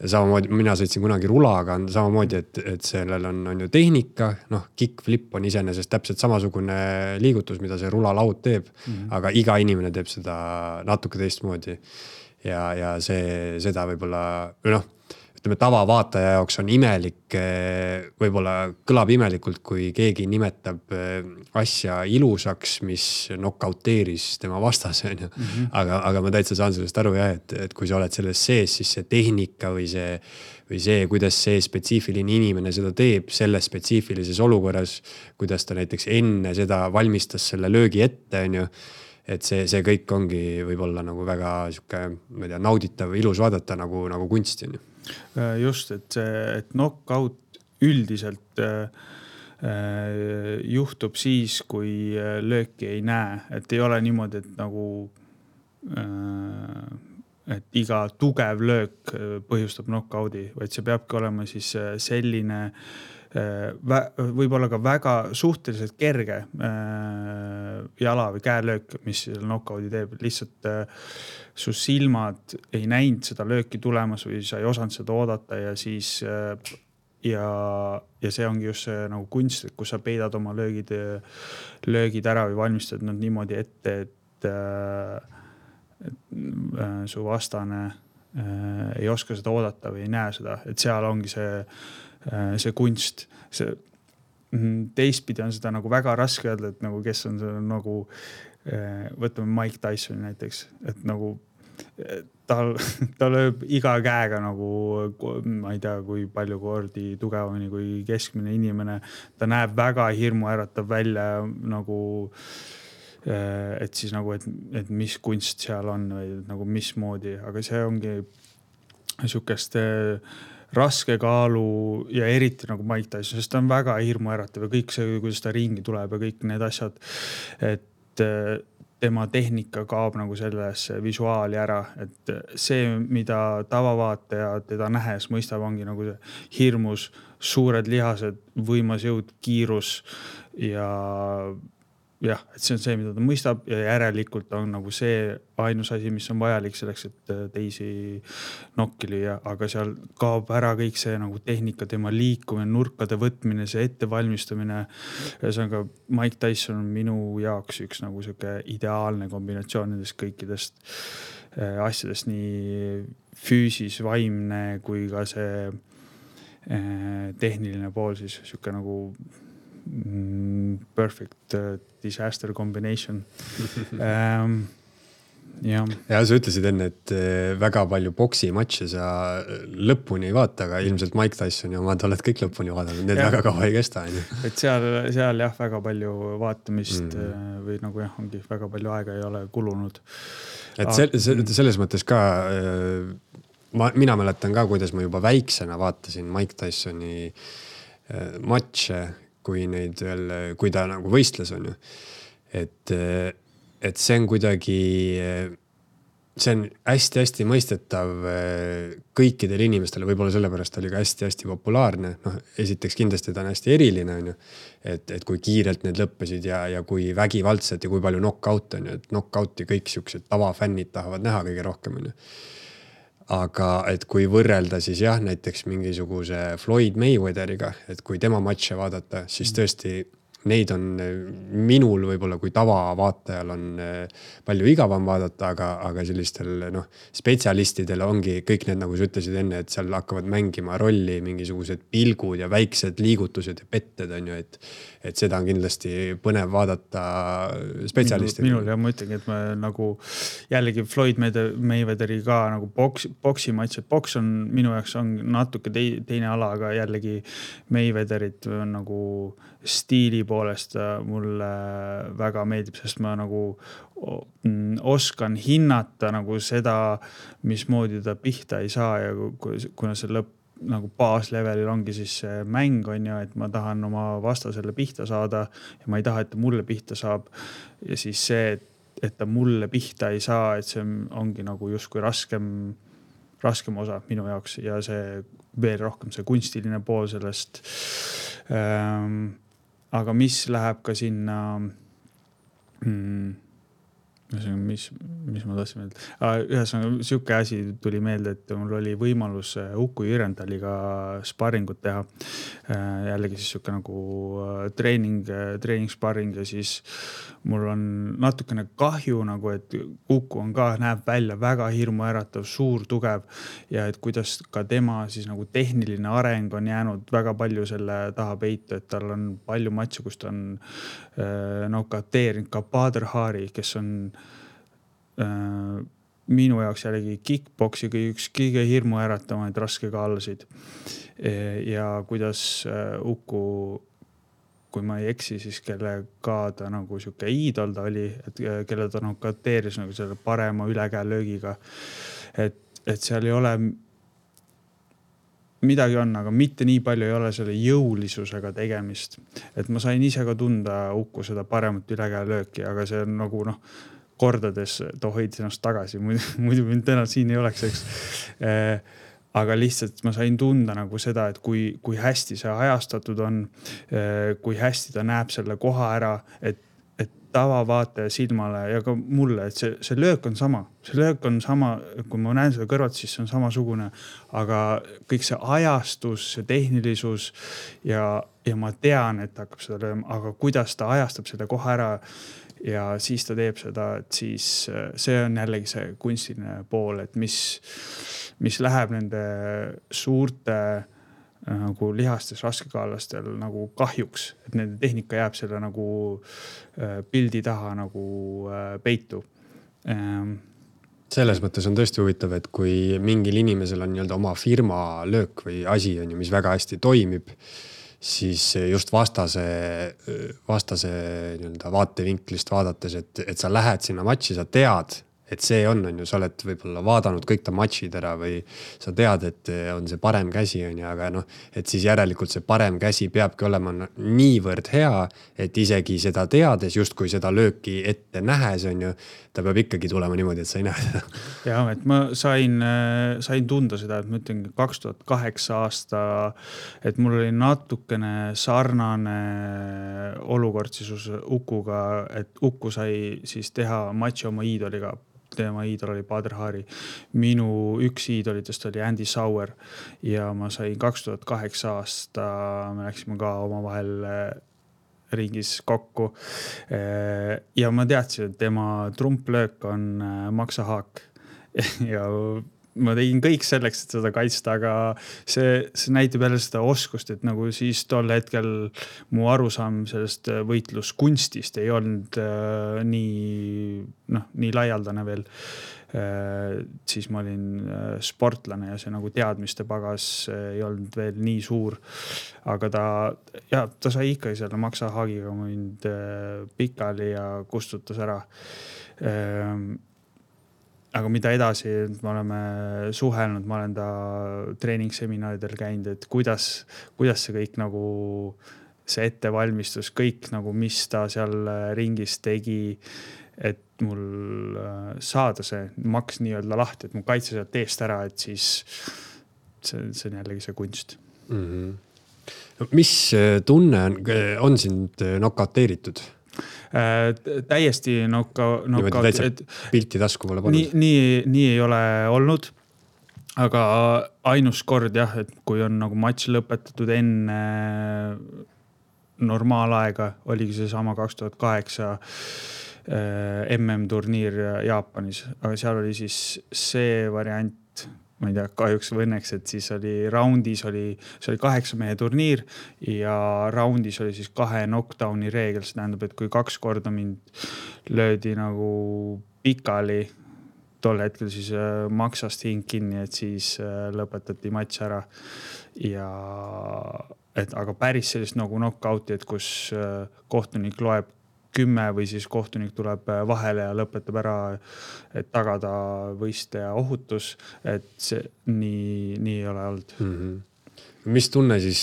Samamoodi, mina sõitsin kunagi rulaga, on samamoodi, et sellel on ju tehnika, kickflip on iseenesest täpselt samasugune liigutus, mida see rulalaud teeb, aga iga inimene teeb seda natuke teistmoodi. Ja seda võib-olla, ütleme, tavavaataja jaoks on imelik, võib-olla kõlab imelikult, kui keegi nimetab asja ilusaks, mis knockouteeris tema vastase. Aga ma täitsa saan sellest aru, et kui sa oled selles sees, siis see tehnika või see, kuidas see spetsiifiline inimene seda teeb selles spetsiifilises olukorras, kuidas ta näiteks enne seda valmistas selle löögi ette, on ju. Et see kõik ongi võib-olla nagu väga nauditav, ilus vaadata nagu kunsti, on ju. Just, et knockout üldiselt juhtub siis, kui lööki ei näe. Et ei ole niimoodi, et nagu et iga tugev löök põhjustab knockout'i, vaid see peabki olema siis selline võib-olla ka väga suhteliselt kerge jala või käelöök, mis knockout'i teeb. Lihtsalt su silmad ei näinud seda lööki tulemas või sa ei osanud seda oodata ja siis ja see ongi just see nagu kunst, kus sa peidad oma löögid ära või valmistad nad niimoodi ette, et su vastane ei oska seda oodata või ei näe seda, et seal ongi see kunst. Teistpidi on seda nagu väga raske öelda, et nagu kes on see nagu, võtame Mike Tyson näiteks, et nagu ta lööb iga käega nagu, ma ei tea, kui palju kordi tugevamini kui keskmine inimene. Ta näeb väga hirmuäratav välja nagu, et siis nagu, et mis kunst seal on või nagu mismoodi, aga see ongi sihukest raske kaalu ja eriti nagu Mike Tyson, sest ta on väga hirmuäratav ja kõik see, kuidas ta ringi tuleb ja kõik need asjad, et tema tehnika kaob nagu sellesse visuaali ära, et see, mida tavavaataja teda nähes mõistab, ongi nagu see hirmus, suured lihased, võimas jõud, kiirus ja et see on see, mida ta mõistab ja järelikult on nagu see ainus asi, mis on vajalik selleks, et teisi nokki lüüa, aga seal kaob ära kõik see nagu tehnika, tema liikumine, nurkade võtmine, see ettevalmistamine. Ühesõnaga Mike Tyson on minu jaoks üks nagu siuke ideaalne kombinatsioon nendest kõikidest asjadest, nii füüsis, vaimne kui ka see tehniline pool, siis siuke nagu perfect disaster combination. Ja, sa ütlesid enne, et väga palju boksimatše sa lõpuni ei vaata, aga ilmselt Mike Tyson ja omad oled kõik lõpuni vaadanud, need väga kaua ei kesta. Et seal jah, väga palju vaatamist või nagu jah, ongi väga palju aega ei ole kulunud. Et selles mõttes ka, mina mäletan ka, kuidas ma juba väiksena vaatasin Mike Tysoni matše, kui ta nagu võistles on ju. Et see on kuidagi, see on hästi-hästi mõistetav kõikidele inimestele, võib-olla sellepärast oli ka hästi-hästi populaarne. Esiteks kindlasti ta on hästi eriline on ju, et kui kiirelt need lõppesid ja kui vägivaldselt ja kui palju knockout on ju, et knockouti kõik siuksed tavafännid tahavad näha kõige rohkem on ju. Aga et kui võrrelda siis jah, näiteks mingisuguse Floyd Mayweatheriga, et kui tema matše vaadata, siis tõesti neid on minul võib-olla kui tavavaatajal on palju igavam vaadata, aga sellistel spetsialistidel ongi kõik need, nagu sa ütlesid enne, et seal hakkavad mängima rolli mingisugused pilgud ja väiksed liigutused ja petted on ju, et seda on kindlasti põnev vaadata spetsialistidel. Minul ja ma ütlengi, et ma nagu jällegi Floyd Mayweatheri ka nagu boksimatš, et boks on minu jaoks on natuke teine ala, aga jällegi Mayweatherit on nagu stiili poolest mulle väga meeldib, sest ma nagu oskan hinnata nagu seda, mismoodi ta pihta ei saa ja kuna see lõpp nagu baaslevelil ongi siis see mäng on ju, et ma tahan oma vastasele pihta saada ja ma ei taha, et ta mulle pihta saab. Ja siis see, et ta mulle pihta ei saa, et see ongi nagu justkui raskem osa minu jaoks ja see veel rohkem see kunstiline pool sellest. Aga mis läheb ka sinna, mis ma tahtsin meelde. Ühesõnaga, siuke asi tuli meelde, et mul oli võimalus Uku Jürendaliga sparringut teha. Jällegi siis siuke nagu treening sparring ja siis mul on natukene kahju nagu, et Uku on ka, näeb välja väga hirmuäratav, suur, tugev ja et kuidas ka tema siis nagu tehniline areng on jäänud väga palju selle taha peitu, et tal on palju matše, kus ta on nokauteerinud ka Badr Hari, kes on minu jaoks jällegi kickboksi üks kõige hirmuäratamaid raskekaalasid. Ja kuidas Uku, kui ma ei eksi, siis kellega ta nagu siuke iidol ta oli, et kelle ta nokauteeris nagu selle parema ülekäelöögiga. Et seal ei ole midagi on, aga mitte nii palju ei ole selle jõulisusega tegemist. Et ma sain ise ka tunda Uku seda paremat ülekäelööki, aga see on nagu kordades ta hoidis ennast tagasi, muidu mind täna siin ei oleks, eks. Aga lihtsalt ma sain tunda nagu seda, et kui hästi see ajastatud on, kui hästi ta näeb selle koha ära, et tavavaataja silmale ja ka mulle, et see löök on sama. See löök on sama, kui ma näen seda kõrvalt, siis see on samasugune, aga kõik see ajastus, see tehnilisus ja ma tean, et ta hakkab seda lööma, aga kuidas ta ajastab seda koha ära ja siis ta teeb seda, et siis see on jällegi see kunstiline pool, et mis läheb nende suurte nagu lihastes raskekaalastel nagu kahjuks, et nende tehnika jääb selle nagu pildi taha nagu peitu. Selles mõttes on tõesti huvitav, et kui mingil inimesel on nii-öelda oma firma löök või asi on ju, mis väga hästi toimib, siis just vastase nii-öelda vaatevinklist vaadates, et sa lähed sinna matši, sa tead, et see on ju, sa oled võib-olla vaadanud kõik ta matšid ära või sa tead, et on see parem käsi on ju, aga et siis järelikult see parem käsi peabki olema niivõrd hea, et isegi seda teades, just kui seda lööki ette nähes on ju, ta peab ikkagi tulema niimoodi, et sa ei näe seda. Ja, et ma sain tunda seda, et ma ütlen 2008 aasta, et mul oli natukene sarnane olukord siis Ukuga, et Uku sai siis teha matši oma iidoliga. Tema iidol oli Badr Hari. Minu üks iidolitest oli Andy Sauer ja ma sain 2008 aasta, me läksime ka oma vahel ringis kokku ja ma teadsin, et tema trumplöök on maksahaak ja ma tegin kõik selleks, et seda kaitsta, aga see näitab jälle seda oskust, et nagu siis tol hetkel mu arusaam sellest võitluskunstist ei olnud nii laialdane veel. Siis ma olin sportlane ja see nagu teadmiste pagas ei olnud veel nii suur, aga ta sai ikka selle maksahaagiga mind pikali ja kustutas ära. Aga mida edasi, me oleme suhelnud, ma olen ta treeningseminaridel käinud, et kuidas see kõik nagu see ettevalmistus, kõik nagu mis ta seal ringis tegi, et mul saada see maks nii-öelda lahti, et mu kaitse sealt eest ära, et siis see on jällegi see kunst. Mis tunne on sind nokauteeritud? Täiesti pilti tasku pole pannud. Nii ei ole olnud, aga ainus kord jah, et kui on nagu matš lõpetatud enne normaalaega, oligi see sama 2008 MM-turniir Jaapanis, aga seal oli siis see variant, ma ei tea, kahjuks või õnneks, et siis oli raundis see oli 8 mehe turniir ja raundis oli siis 2 knockdowni reegel. See tähendab, et kui 2 korda mind löödi nagu pikali, tol hetkel siis maksast hing kinni, et siis lõpetati matš ära. aga päris sellist nagu knockouti, et kus kohtunik loeb 10 või siis kohtunik tuleb vahele ja lõpetab ära, et tagada võistleja ohutus, et see nii ei ole olnud. Mis tunne siis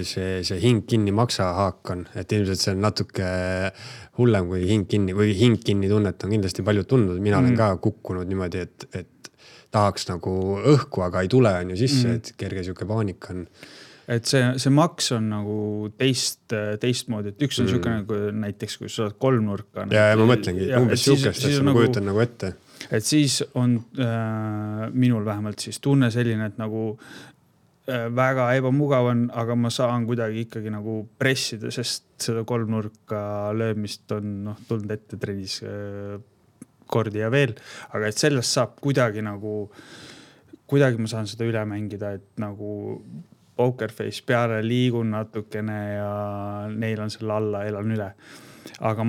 see hing kinni maksa haak on, et ilmselt see on natuke hullem kui hing kinni tunnet on kindlasti palju tundnud. Mina olen ka kukkunud niimoodi, et tahaks nagu õhku, aga ei tule on ju sisse, et kerge siuke paanika on. Et see maks on nagu teistmoodi, et üks on siuke nagu näiteks, kui sa oled kolmnurka. Ja ma mõtlengi, umbes siukest, et ma kujutan nagu ette. Et siis on minul vähemalt siis tunne selline, et nagu väga ebamugav on, aga ma saan kuidagi ikkagi nagu pressida, sest seda kolmnurka löömist on tulnud ette trennis kordi ja veel, aga et sellest saab kuidagi ma saan seda üle mängida, et nagu pokerface peale liigun natukene ja neil on selle alla, elan üle. Aga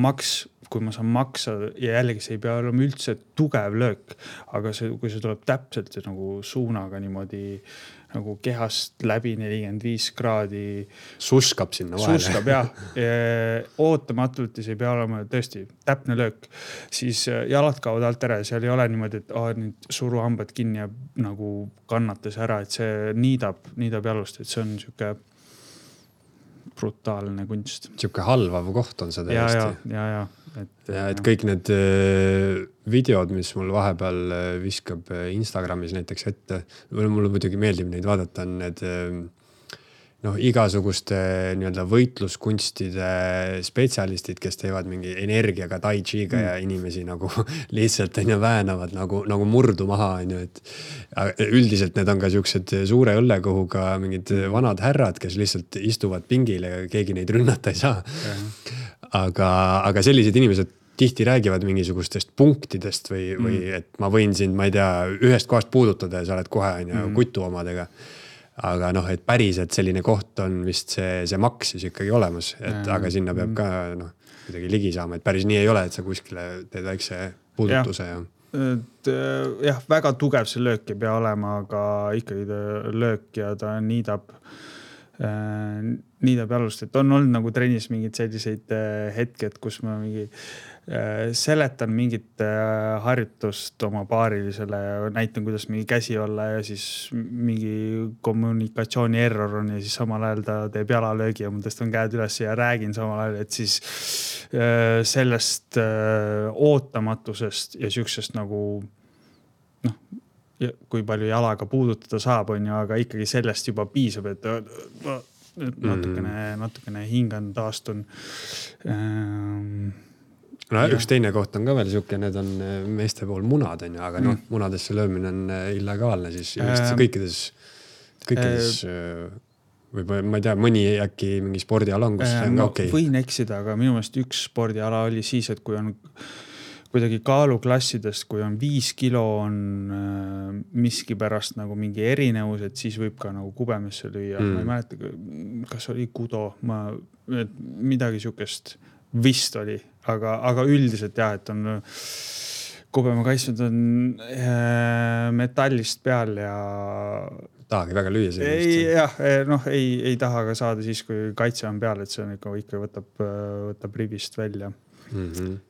kui ma saan maksa ja jällegi see ei pea olema üldse tugev löök, aga kui see tuleb täpselt nagu suunaga niimoodi nagu kehast läbi 45 kraadi. Suskab sinna vahele. Suskab, jah. Ootamatult ja see ei pea olema tõesti täpne löök. Siis jalad kaovad alt ära ja seal ei ole niimoodi, et nüüd suruhambad kinni ja nagu kannatas ära, et see niidab jalust, et see on siuke brutaalne kunst. Siuke halvav koht on see täiesti. Ja. Et kõik need videod, mis mul vahepeal viskab Instagramis näiteks ette, mulle muidugi meeldib neid vaadata, on need igasuguste nii-öelda võitluskunstide spetsialistid, kes teevad mingi energiaga, tai chiga ja inimesi nagu lihtsalt väänavad nagu murdu maha. Et üldiselt need on ka siuksed suure õllekohuga mingid vanad härrad, kes lihtsalt istuvad pingil ja keegi neid rünnata ei saa. Aga sellised inimesed tihti räägivad mingisugustest punktidest või et ma võin sind, ma ei tea, ühest kohast puudutada ja sa oled kohe kutu omadega. Aga et päriselt selline koht on vist see maks siis ikkagi olemas, aga sinna peab ka kuidagi ligi saama, et päris nii ei ole, et sa kuskile teed väikse puudutuse. Jah, väga tugev see löök ei pea olema, aga ikkagi ta löök ja ta niidab jalust, et on olnud nagu trennis mingid selliseid hetked, kus ma seletan mingit harjutust oma paarilisele, näitan, kuidas mingi käsi olla ja siis mingi kommunikatsiooni error on ja siis samal ajal ta teeb jalalöögi ja ma tõstan käed üles ja räägin samal ajal, et siis sellest ootamatusest ja siuksest nagu kui palju jalaga puudutada saab, on ju, aga ikkagi sellest juba piisab, et natukene hingan taastun. Üks teine koht on ka veel siuke, need on meeste pool munad, on ju, aga munadesse löömine on illegaalne, siis kõikides või ma ei tea, mõni äkki mingi spordiala on, kus see on ka okei. Võin eksida, aga minu meelest üks spordiala oli siis, et kui on kuidagi kaaluklassidest, kui on 5 kilo on miski pärast nagu mingi erinevus, et siis võib ka nagu kubemesse lüüa. Ma ei mäleta, kas oli kudo, midagi siukest vist oli, aga üldiselt jah, et on kubema kaitsnud on metallist peal ja tahagi väga lüüa sellist. Jah, ei taha ka saada siis, kui kaitse on peal, et see on ikka võtab ribist välja.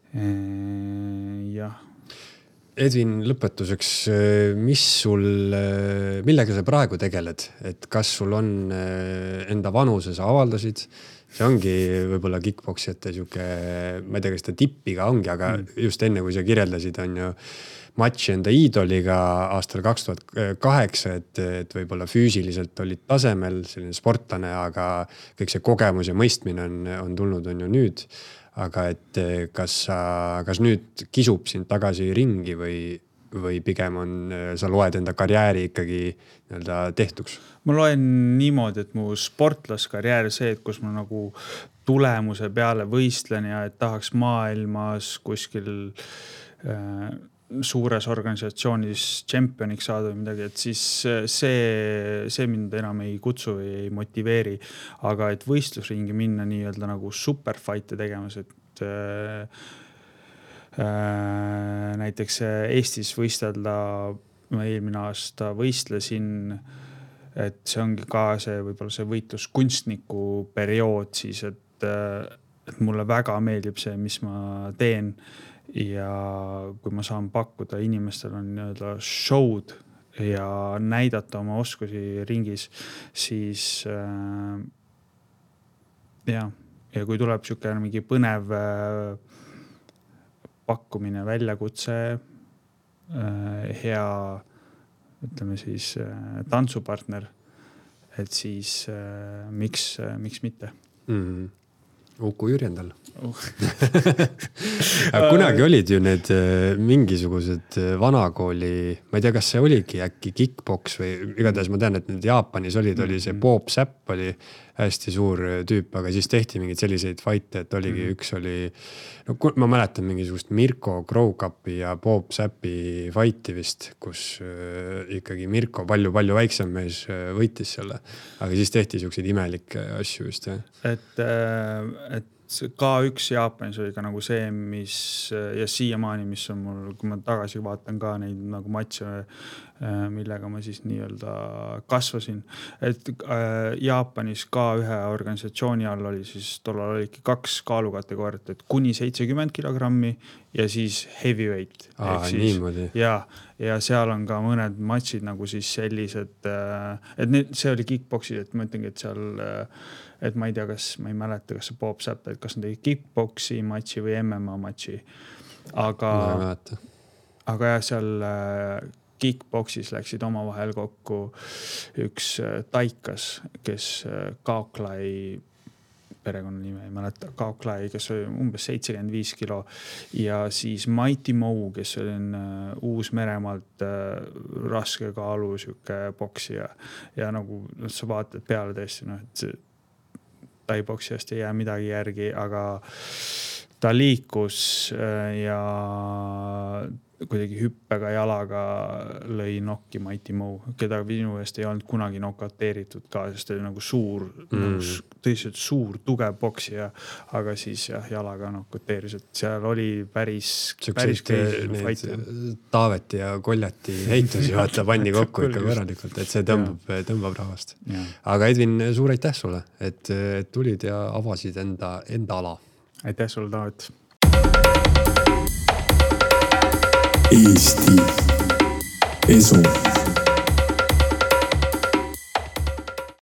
Jah. Edvin, lõpetuseks, millega sa praegu tegeled? Et kas sul on enda vanuse, sa avaldasid? See ongi võib-olla kickboksijate siuke, ma ei tea, kas ta tippiga ongi, aga just enne, kui sa kirjeldasid, on ju matši enda iidoliga aastal 2008, et võib-olla füüsiliselt olid tasemel selline sportlane, aga kõik see kogemus ja mõistmine on tulnud, on ju nüüd. Aga et kas nüüd kisub sind tagasi ringi või pigem sa loed enda karjääri ikkagi tehtuks? Ma loen niimoodi, et mu sportlaskarjäär see, et kus ma nagu tulemuse peale võistlen ja et tahaks maailmas kuskil suures organisatsioonis tšempioniks saada või midagi, et siis see mind enam ei kutsu või ei motiveeri, aga et võistlusringi minna nii-öelda nagu superfight'e tegemas, et näiteks Eestis võistelda, ma eelmine aasta võistlesin et see ongi ka see võib-olla see võitluskunstniku periood siis, et mulle väga meeldib see, mis ma teen ja kui ma saan pakkuda inimestel on nii-öelda show'd ja näidata oma oskusi ringis, siis ja kui tuleb siukene mingi põnev pakkumine, väljakutse, hea, ütleme siis tantsupartner, et siis miks mitte? Uku Jürjendal. Kunagi olid ju need mingisugused vanakooli, ma ei tea, kas see oligi äkki kickboks või igatahes ma tean, et need Jaapanis oli see Bob Sapp oli hästi suur tüüp, aga siis tehti mingeid selliseid fight'e, et oligi üks oli, no ma mäletan mingisugust Mirko Crowcupi ja Bob Sappi fight'i vist, kus ikkagi Mirko palju väiksem mees võitis selle, aga siis tehti siukseid imelikke asju just, jah. Et K1 Jaapanis oli ka nagu see, mis ja siiamaani, mis on mul, kui ma tagasi vaatan ka neid nagu matše, millega ma siis nii-öelda kasvasin. Et Jaapanis K1 organisatsiooni all oli siis tollal oligi 2 kaalukategooriat, et kuni 70 kilogrammi ja siis heavyweight. Niimoodi. Ja seal on ka mõned matšid nagu siis sellised, et see oli kickboxid, et ma ütlengi, et seal et ma ei tea, ma ei mäleta, kas see Bob Sapp, et kas on tegi kickboxi matši või MMA matši. Aga jah, seal kickboxis läksid omavahel kokku üks taikas, kes Kaoklai perekonnanime ei mäleta, Kaoklai, kes oli umbes 75 kilo ja siis Mighty Mo, kes oli Uus-Meremaalt raske kaalu siuke boksija ja nagu sa vaatad peale tõesti, et taiboksijast ei jää midagi järgi, aga ta liikus ja kuidagi hüppega jalaga lõi nokki Mighty Mo, keda minu eest ei olnud kunagi nokateeritud ka, sest oli nagu suur, tõsiselt suur, tugev boksija, aga siis jalaga nokateeris, et seal oli päris crazy. Taaveti ja Koljati heitusi vaata panni kokku ikka korralikult, et see tõmbab rahvast. Aga Edvin, suur aitäh sulle, et tulid ja avasid enda ala. Aitäh sulle, Taavet. Eesti Esu.